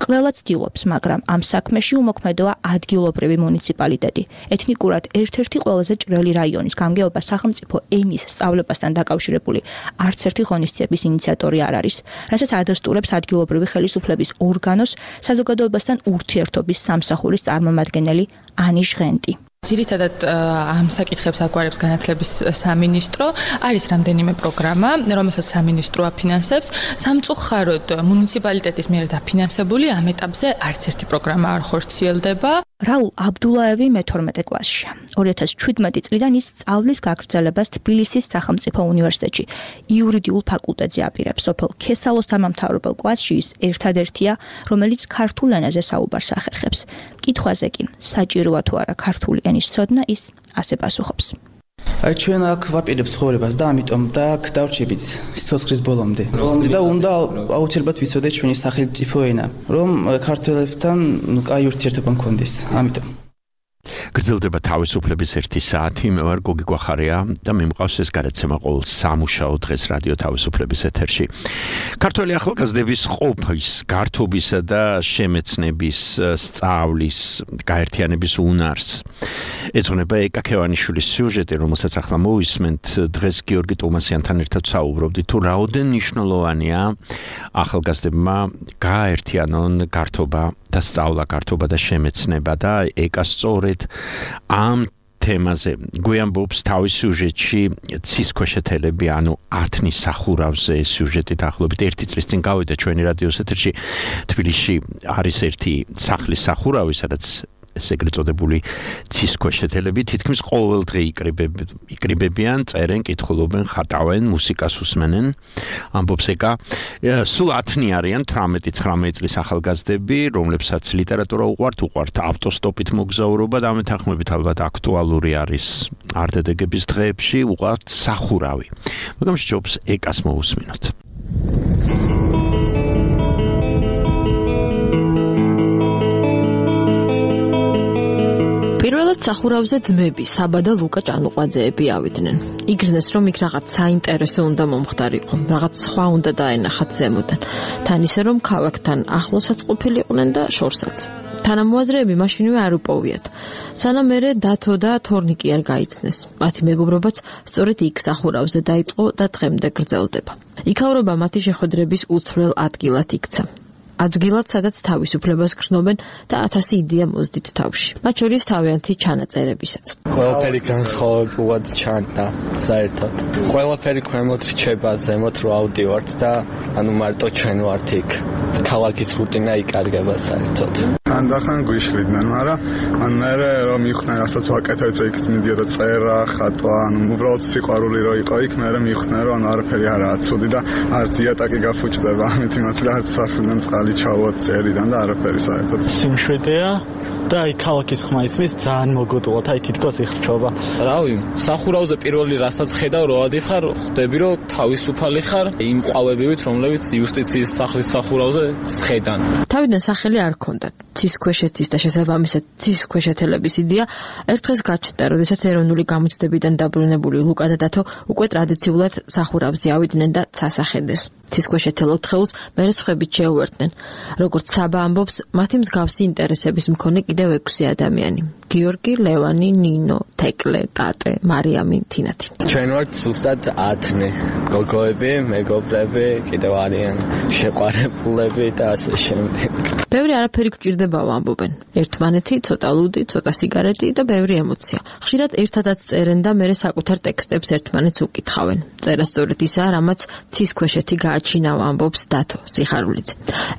ყველა ცდილობს, მაგრამ ამ საქმეში უმოქმედოა ადგილობრივი მუნიციპალიტეტი. ეთნიკურად ერთ-ერთი ყველაზე ჭრელი რაიონის გამგეობა სახელმწიფო ენის სწავლებასთან დაკავშირებული არც ერთი ღონისძიების ინიციატორი არ არის, რასაც ადასტურებს ადგილობრივი ხელისუფლების ორგანოს საზოგადოებასთან ურთიერთობის სამსახურის წარმომადგენელი ანი ჟღენტი. ძირითადად ამ საკითხებს აგვარებს განათლების სამინისტრო, არის რამდენიმე პროგრამა, რომელსაც სამინისტრო აფინანსებს. სამწუხაროდ მუნიციპალიტეტის მიერ დაფინანსებული ამ ეტაპზე არც ერთი პროგრამა არ ხორციელდება. რაულ აბდულაევი მეთორმეტე კლასშია. ორი ათას ჩვიდმეტი წლიდან ის სწავლის გაგრძელებას თბილისის სახელმწიფო უნივერსიტეტში იურიდიულ ფაკულტეტზე აპირებს. სოფელ ქესალოს დამამთავრებელ კლასში ის ერთადერთია, რომელიც ქართულ ენაზე საუბარს ახერხებს. კითხვაზე კი, საჭიროა თუ არა ქართული ენის ცოდნა, ის ასე პასუხობს. აი ჩვენ აქ ვაპირებთ ცხოვრებას და ამიტომ და აქ დავრჩებით სიცოცხლის ბოლომდე. და უნდა აუცილებლად ვიცოდეთ ჩვენი სახელმწიფო ენა, რომ ქართველებთან კაი ურთიერთობა მქონდეს. ამიტომ გრძელდება თავისუფლების ერთი საათი, მე ვარ გოგი გვახარია და მე მყავს ეს გადაცემა ყოველ სამუშაო დღეს რადიო თავისუფლების ეთერში. ქართველი ახალგაზრდების ყოფის, გართობისა და შემეცნების, სწავლის, გაერთიანების უნარს ეძღვნება ეკა ქევანიშვილის სიუჟეტი, რომელსაც ახლა მოვისმენთ. დღეს გიორგი ტომასიანთან ერთად საუბრობდით თუ რაოდენ მნიშვნელოვანია ახალგაზრდებმა გააერთიანონ გართობა და სწავლა, გართობა და შემეცნება და ეკა სწორედ ამ თემაზე გვიამბობს თავის სიუჟეტში ცისქვეშეთელები, ანუ ათნის სახურავზე სიუჟეტი დაახლოებით ერთი წლის წინ გავიდა ჩვენი რადიოს ეთერში. თბილისში არის ერთი სახლის სახურავი, სადაც ეგრეთ წოდებული ცისქვეშეთელები თითქმის ყოველ დღე იკრიბებიან, წერენ, კითხულობენ, ხატავენ, მუსიკას უსმენენ. ამბობს ეკა, სულ ათნი არიან თვრამეტი ცხრამეტი წლის ახალგაზრდები, რომლებსაც ლიტერატურა უყვართ, უყვართ ავტოსტოპით მოგზაურობა და ამ თანხმობით ალბათ აქტუალური არის არდედეგების დღეებში, უყვართ სახურავი. მაგრამ სჯობს ეკას მოусმინოთ. პირველად სახურავზე ძმები, საბა და ლუკა ჭანუყვაძეები ავიდნენ. იგრძნეს, რომ იქ რაღაც საინტერესო უნდა მომხდარიყო, რაღაც სხვა უნდა დაენახათ ზემოდან. თან ისე, რომ ქალაქთან ახლოსაც ყოფილიყვნენ და შორსაც. თანამოაზრეები მაშინვე არ უპოვიათ. სანამ მერე დათო და თორნიკი არ გაიცნეს. მათი მეგობრობაც სწორედ იქ სახურავზე დაიწყო და დღემდე გრძელდება. იქაურობა მათი შეხვედრების უცვლელ ადგილად იქცა. ადგილად, სადაც თავისუფლებას გრძნობენ და ათასი იდეა მოздით თავში. მათ შორის თავიანთი ჩანაწერებისაც. ყველაფერი განსხვავებულად ჩანდა საერთოდ. ყველაფერი ქვემოთ რჩება, ზემოთ რო ავდივართ და ანუ მარტო ჩვენ ვართ იქ. ქალაქის რუტინა იკარგება საერთოდ. ანდახან გვიშლიდნენ, მაგრამ ან მე რომ მიხდნენ, რასაც ვაკეთებ, იქ მიდიოდა წერა, ხატვა, ანუ უბრალოდ სიყვარული რო იყო იქ, მე მიხდნენ, რომ არაფერი არაა ცუდი და არც იატაკი გაფუჭდება, ამით იმას და არც სახლიდან წყალი ჩავოთ წერიდან და არაფერი საერთოდ. სიმშვიდეა და აი ქალაქის ხმა ისმის ძალიან მოგოდულად, აი თითქოს იხრჩობა. რავი, სახურავზე პირველი რასაც ხედავ, რო ადიხარ, ხვდები რომ თავისუფალი ხარ იმ ყვავებივით, რომლებიც იუსტიციის სახლის სახურავზე სხედან. თავიდან სახელი არ ჰქონდათ. ცისქვეშეთის და შესაბამისად ცისქვეშეთელების იდეა ერთ დღეს გაჩნდა, როდესაც ეროვნული გამოცდებიდან დაბრუნებული ლუკა და დათო უკვე ტრადიციულად სახურავზე ავიდნენ და ცასახედეს. ცისქვეშეთელ ოთხეულს მერე სხვებით შეუერთდნენ. როგორც საბა ამბობს, მათი მსგავსი ინტერესების მქონე კიდევ ექვსი ადამიანი. გიორგი, ლევანი, ნინო, თეკლე, ტატე, მარიამი, თინათი. ჩვენ ვართ ზუსტად ათნი. გოგოები, მეგობრები, კიდევ არიან შეყვარებულები და ასე შემდეგ. ბევრი არაფერი გვჭირდებაო ამბობენ. ერთმანეთი, ცოტა ლუდი, ცოტა სიგარეტი და ბევრი ემოცია. ხშირად ერთადაც წერენ და მერე საკუთარ ტექსტებს ერთმანეთს უკითხავენ. წერა სწორედ ისაა, რამაც ცისქვეშეთი გააჩინავა, ამბობს დათო სიხარულიძე.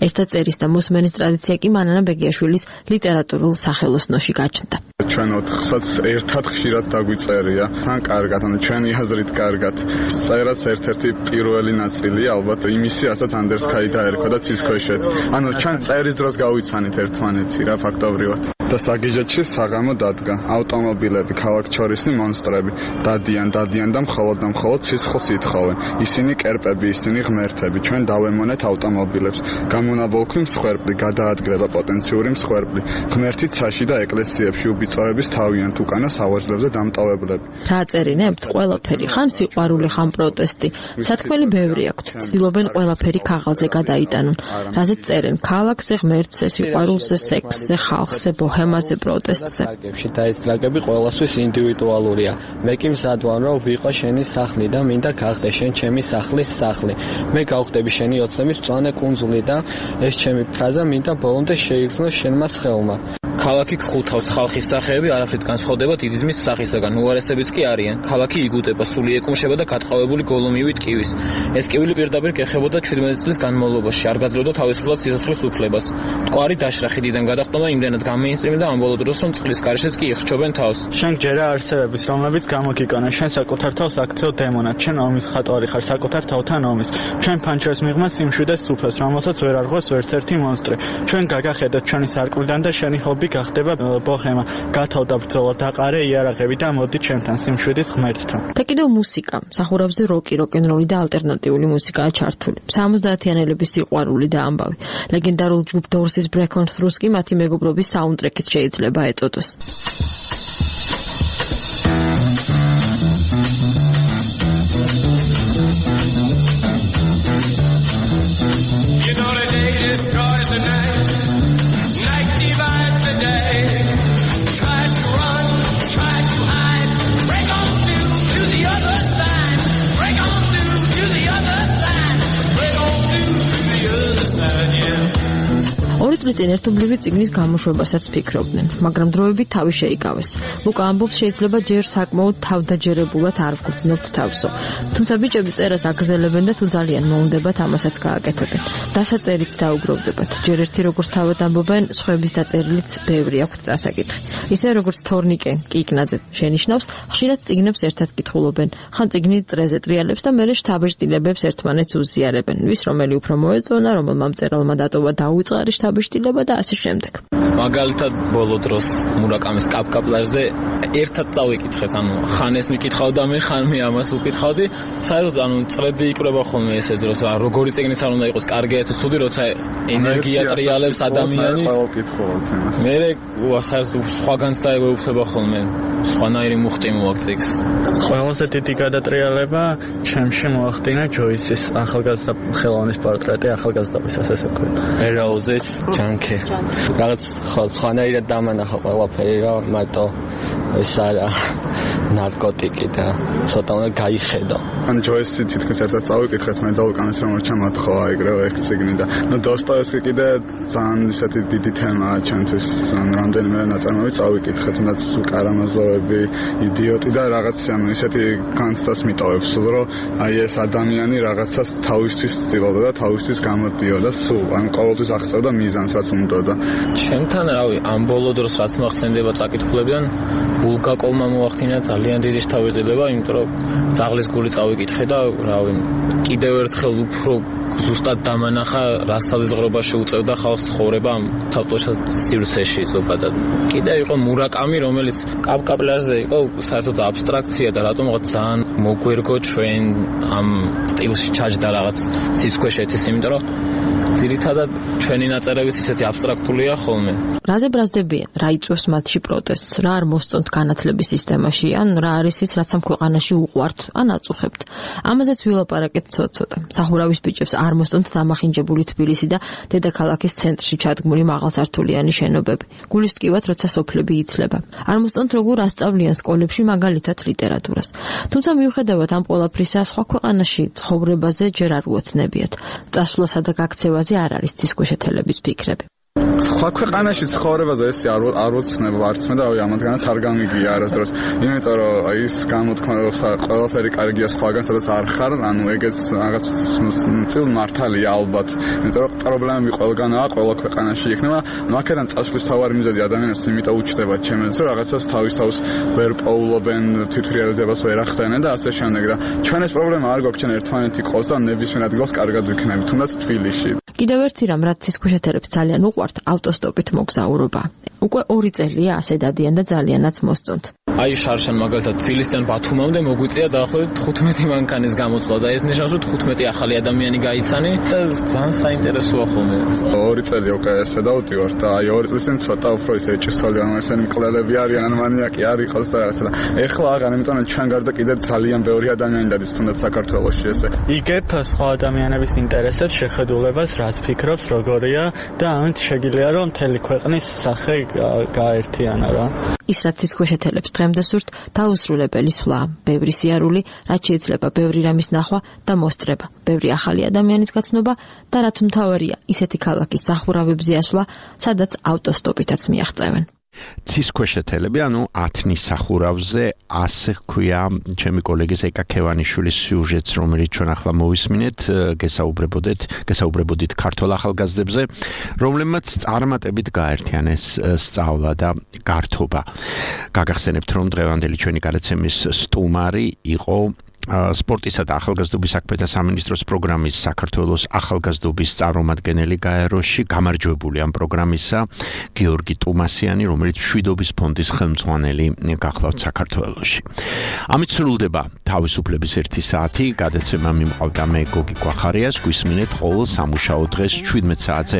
ერთად წერის და მოსმენის ტრადიცია კი მანანა ბეგიაშვილის ლიტერატურულ სახელოსნოში გაჩნდა. ჩვენ ოთხსაც ერთად ხშირად დაგვიწერია. თან კარგად, ანუ ჩვენი აზრით კარგად. წერაც ერთ-ერთი პირველი ნაწილი, ალბათ იმისი, რასაც ანდერსკაი დაერქვა და ცისქვეშეთ. ანუ ჩვენ წერის დროს გავიცანით ერთმანეთი რა ფაქტობრივად. და საგიჟეთში საღამო დადგა. ავტომობილები, ქალაქჩორისი მონსტრები დადიან, დადიან და მხოლოდ და მხოლოდ სისხლს ითხოვენ. ისინი კერპები, ისინი ღმერთები. ჩვენ დავემონეთ ავტომობილებს. გამონაბოლქვი მსხვერპლი, გადაადგილება პოტენციური მსხვერპლი. ღმერთი ცაში და ეკლესიებში უბიწოების თავიანთ უკანა სავარძლებზე დამტოვებლები. რა წერინებთ? ყველაფერი, ხან სიყვარული, ხან პროტესტი. სათქმელი ბევრი აქვთ. ცდილობენ ყველაფერი ქაღალდზე გადაიტანონ. რაზეც წერენ? ქალაქზე, ღმერთზე, სიყვარულზე, სექსზე, ხალხზე, ბოჰემაზე, პროტესტზე. და ეს ტრაგები ყველასთვის ინდივიდუალურია. მე კი მზად ვარ, რომ ვიყო შენი სახლი და მინდა გახდე შენ ჩემი სახლის სახლი. მე გავხდები შენი ოცნების მწვანე კუნძული და ეს ჩემი ფრაზა მინდა ბოლომდე შეიგრძნო შენმა სხეულმა. ქალაქი გხუთავს, ხალხის სახეები არაფრით განსხვავდება დიდი ძმის სახისაგან, უარესებიც კი არიან. ქალაქი იგუტება, სული ეკუმშება და გატყავებული გოლომივით კივის. ეს კივილი პირდაპირ გეხებოდა ჩვიდმეტი წლის განმავლობაში, არ გაძლევდა თავისუფლად სიცოცხლის უფლებას. მტკვარი დაშრა ხიდიდან გადახტომა იმდენად გამეინსტრიმდა ამ ბოლო დროს, რომ წყლის გარეშეც კი იხრჩობენ თავს. შენ გჯერა არსებების, რომლებიც გამოგიკონა, შენ საკუთარ თავს აქცევ დემონად, შენ ომის ხატვარი ხარ, საკუთარ თავთან ომის. ჩვენ ფანჩერს მიღმა სიმშვიდეს სუფას, რომელსაც ვერ არღვევს ვერც ერთი მონსტრი. ჩვენ გაგახედოთ ჩვენი სარკმლიდან და შენი ჰობი გახდება ბოჰემა. გათავდა ბრძოლა, დაყარე იარაღები და მოდი ჩემთან სიმშვიდის ღმერთთან. და კიდევ მუსიკა. სახურავზე როკი, როკ-ენ-როლი და ალტერნატიული მუსიკაა ჩართული. სამოცდაათიანელების სიყვარული და ამბავი. ლეგენდარულ ჯგუფ Doors-ის Break On Through-ს კი მათი მეგობრობის საუნდტრეკიც შეიძლება ეწოდოს. You know the day destroys the night, night divides the day. Try to run, try to hide, break on through to the other side, break on through to the other side, break on through to the other side, yeah. ორი წლის წინ ერთობლივი წიგნის გამოშვებასაც ფიქრობდნენ, მაგრამ დროებით თავი შეიკავეს. ლუკა ამბობს, შეიძლება ჯერ საკმაოდ თავდაჯერებულად არ ვგრძნობთ თავსო. თუმცა ბიჭები წერას აგრძელებენ და თუ ძალიან მოუნდებათ, ამასაც გააკეთებენ. დასაწერიც დაუგროვდებათ. ჯერ ერთი როგორც თავად ამბობენ, სხვების დაწერილიც ბევრი აქვთ წასაკითხი. ისე როგორც თორნიკე კიკნაძე შენიშნავს, ხშირად წიგნებს ერთად კითხულობენ. ხან წიგნი წრეზე ტრიალებს და მერე შთაბეჭდილებებს ერთმანეთს უზიარებენ. ვის რომელი უფრო მოეწონა, რომელმა მწერალმა დატოვა დაუწყარი შთაბეჭდილება და ასე შემდეგ. მაგალითად ბოლო დროს მურაკამის კაპკაპლაჟზე ერთად წავიკითხეთ, ანუ ხან ეს მიკითხავდა მე, ხან მე ამას ვკითხავდი. საერთოდ ანუ წრედი იკრება ხოლმე ესე დროს, როგორი წიგნიც არ უნდა იყოს, კარგია თუ ცუდი, როცა ენერგია ტრიალებს ადამიანის. მე საერთოდ სხვაგანც დაეგვეუფლება ხოლმე. სხვანაირი მუხტი მოაქვს წიგს. ყველაზე დიდი გადატრიალება ჩემში მოახდინა ჯოისის ახალგაზრდა ხელოვნის პორტრეტი ახალგაზრდობის ასე ქვია. ერაუზის ჯანკი. რაღაც სხვანაირად დამანახა ყველაფერი, რა მარტო ეს არა ნარკოტიკი და ცოტა უნდა გაიხედო. ან ჯოისი თითქოს ერთად წავიკითხეთ მე და უკანეს რომ ჩამოთხოვა ეგრევე ეგ წიგნი და ნუ დოსტოევსკი კიდე ძალიან ისეთი დიდი თემაა ჩვენთვის, ან რამდენიმე ნაწარმოები წავიკითხეთ, რაც კარამაზოვები, იდიოტი და რაღაც ანუ ისეთი განცდას მიტოვებს, რომ აი ეს ადამიანი რაღაცას თავისთვის ცდილობდა და თავისთვის გამოდიოდა სულ, ან ყოველთვის აღწევდა მიზანს, რაც უნდოდა. ჩემთან რავი, ამ ბოლო დროს რაც მახსენდება წაკითხულებიდან, ბულგაკოვმა მოახდინა ძალიან დიდი შთაბეჭდილება, იმიტომ რომ ძაღლის გული წავიკითხე და რავი, კიდევ ერთხელ უფრო ზუსტად დამანახა, რა საზღვრებაში უწევდა ხალხს ცხოვრება ამ საბჭოთა სივრცეში ზოგადად. კიდევ იყო მურაკამი, რომელიც კაპკაპლაჟზე იყო საერთოდ აბსტრაქცია და რატომღაც ძალიან მოგვერგო ჩვენ ამ სტილში ჩაჯდა რაღაც სისქვეშეთის, იმიტომ რომ ძირითადად ჩვენი ნაწერებიც ისეთი აბსტრაქტულია ხოლმე. რაზე ბრაზდებიან, რა იწვევს მათში პროტესტს, რა არ მოსწონთ განათლების სისტემაში, ან რა არის ის, რაც ამ ქვეყანაში უყვართ, ან აწუხებთ. ამაზეც ვილაპარაკეთ ცოტ-ცოტა. სახურავის ბიჭებს არ მოსწონთ დამახინჯებული თბილისი და დედაქალაქის ცენტრში ჩადგმული მაღალსართულიანი შენობები. გულის ტკივათ, როცა სოფლები იცლება. არ მოსწონთ როგორ ასწავლიან სკოლებში მაგალითად ლიტერატურას. თუმცა მიუხედავად ამ ყველაფრისა, სხვა ქვეყანაში ცხოვრებაზე ჯერ არ უოცნებიათ. წასვლასა და გაქცევაზე არ არის ცისქვეშეთელების ფიქრები. სხვა ქვეყანაში ცხოვრებაზე ეს არ არ ვოცნება არც მე და ამათგანაც არ გამიგია არასდროს. იმიტომ რომ აი ეს გამოთქმა რომ ყველაფერი კარგია სხვაგან, სადაც არ ხარ, ანუ ეგეც რაღაც წილ მართალია ალბათ. იმიტომ რომ პრობლემები ყველგანაა, ყველა ქვეყანაში იქნება. მაგერან წასვლის თავარი მიზეზი ადამიანებს იმიტომ უჩნდება ჩემს, რომ რაღაცას თავის თავს ვერ პოულობენ, თვითრეალიზებას ვერ ახდენენ და ასე შემდეგ და ჩვენ ეს პრობლემა არ გვაქვს, ჩვენ ერთმანეთი ყავს და ნებისმიერ ადგილას კარგად ვიქნებით, თუნდაც თბილისში. კიდევ ერთი რამ, რაც ცისქვეშეთელებს ძალიან უყვართ, ავტოსტოპით მოგზაურობა. უკვე ორი წელია ასე დადიან და ძალიანაც მოსწონთ. აი შარშან მაგალითად თბილისიდან ბათუმამდე მოგვიწია დაახლოებით თხუთმეტი მანქანის გამოსვლა და ეს ნიშნავს, რომ თხუთმეტი ახალი ადამიანი გაიცანი და ძალიან საინტერესოა ხოლმე. ორი წელი უკვე ესე დავდივარ და აი ორი წლის წინ ცოტა უფრო ისე ჭისხელი ან ესენი მკვლელები არიან, ან მანიაკი არ იყოს და რაღაცა. ეხლა აღარ, იმიტომ რომ ჩვენ გარდა კიდე ძალიან ბევრი ადამიანი დადის თუნდაც საქართველოში ესე. იგებ სხვა ადამიანების ინტერესებს, შეხედულებას, რაც ფიქრობს, როგორია და ამით შეგიძლია რომ მთელი ქვეყნის სახე გაერთიანა რა. ის რაც ცისქვეშეთელებს დღემდე სურთ, დაუსრულებელი სვლა, ბევრი სიარული, რაც შეიძლება ბევრი რამის ნახვა და მოსწრება, ბევრი ახალი ადამიანის გაცნობა და რაც მთავარია, ისეთი ქალაქის სახურავებზე ასვლა, სადაც ავტოსტოპითაც მიაღწევენ. ცისქვეშეთელები, ანუ ათნის სახურავზე, ასე ქვია ჩემი კოლეგის ეკა ქევანიშვილის სიუჟეტს, რომელიც ჩვენ ახლა მოვისმინეთ, გესაუბრებოდეთ, გესაუბრებოდით ქართველ ახალგაზრდებზე, რომლებმაც წარმატებით გააერთიანეს სწავლა და გართობა. გაგახსენებთ, რომ დღევანდელი ჩვენი გადაცემის სტუმარი იყო სპორტისა და ახალგაზრდობის საქმეთა სამინისტროს პროგრამის საქართველოს ახალგაზრდობის წარმომადგენელი გაეროში, გამარჯვებული ამ პროგრამისა გიორგი ტუმასიანი, რომელიც მშვიდობის ფონდის ხელმძღვანელი გახლავთ საქართველოში. ამით სრულდება თავისუფლების ერთი საათი, გადაცემა მიმყავდა მე გოგი გვახარიას, გვისმინეთ ყოველ სამუშაო დღეს შვიდმეტ საათზე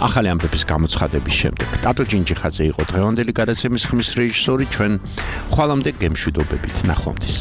ახალი ამბების გამოცხადების შემდეგ. ტატო ჯინჯიხაძე იყო დღევანდელი გადაცემის ხმის რეჟისორი, ჩვენ ხვალამდე გემშვიდობებით, ნახვამდის.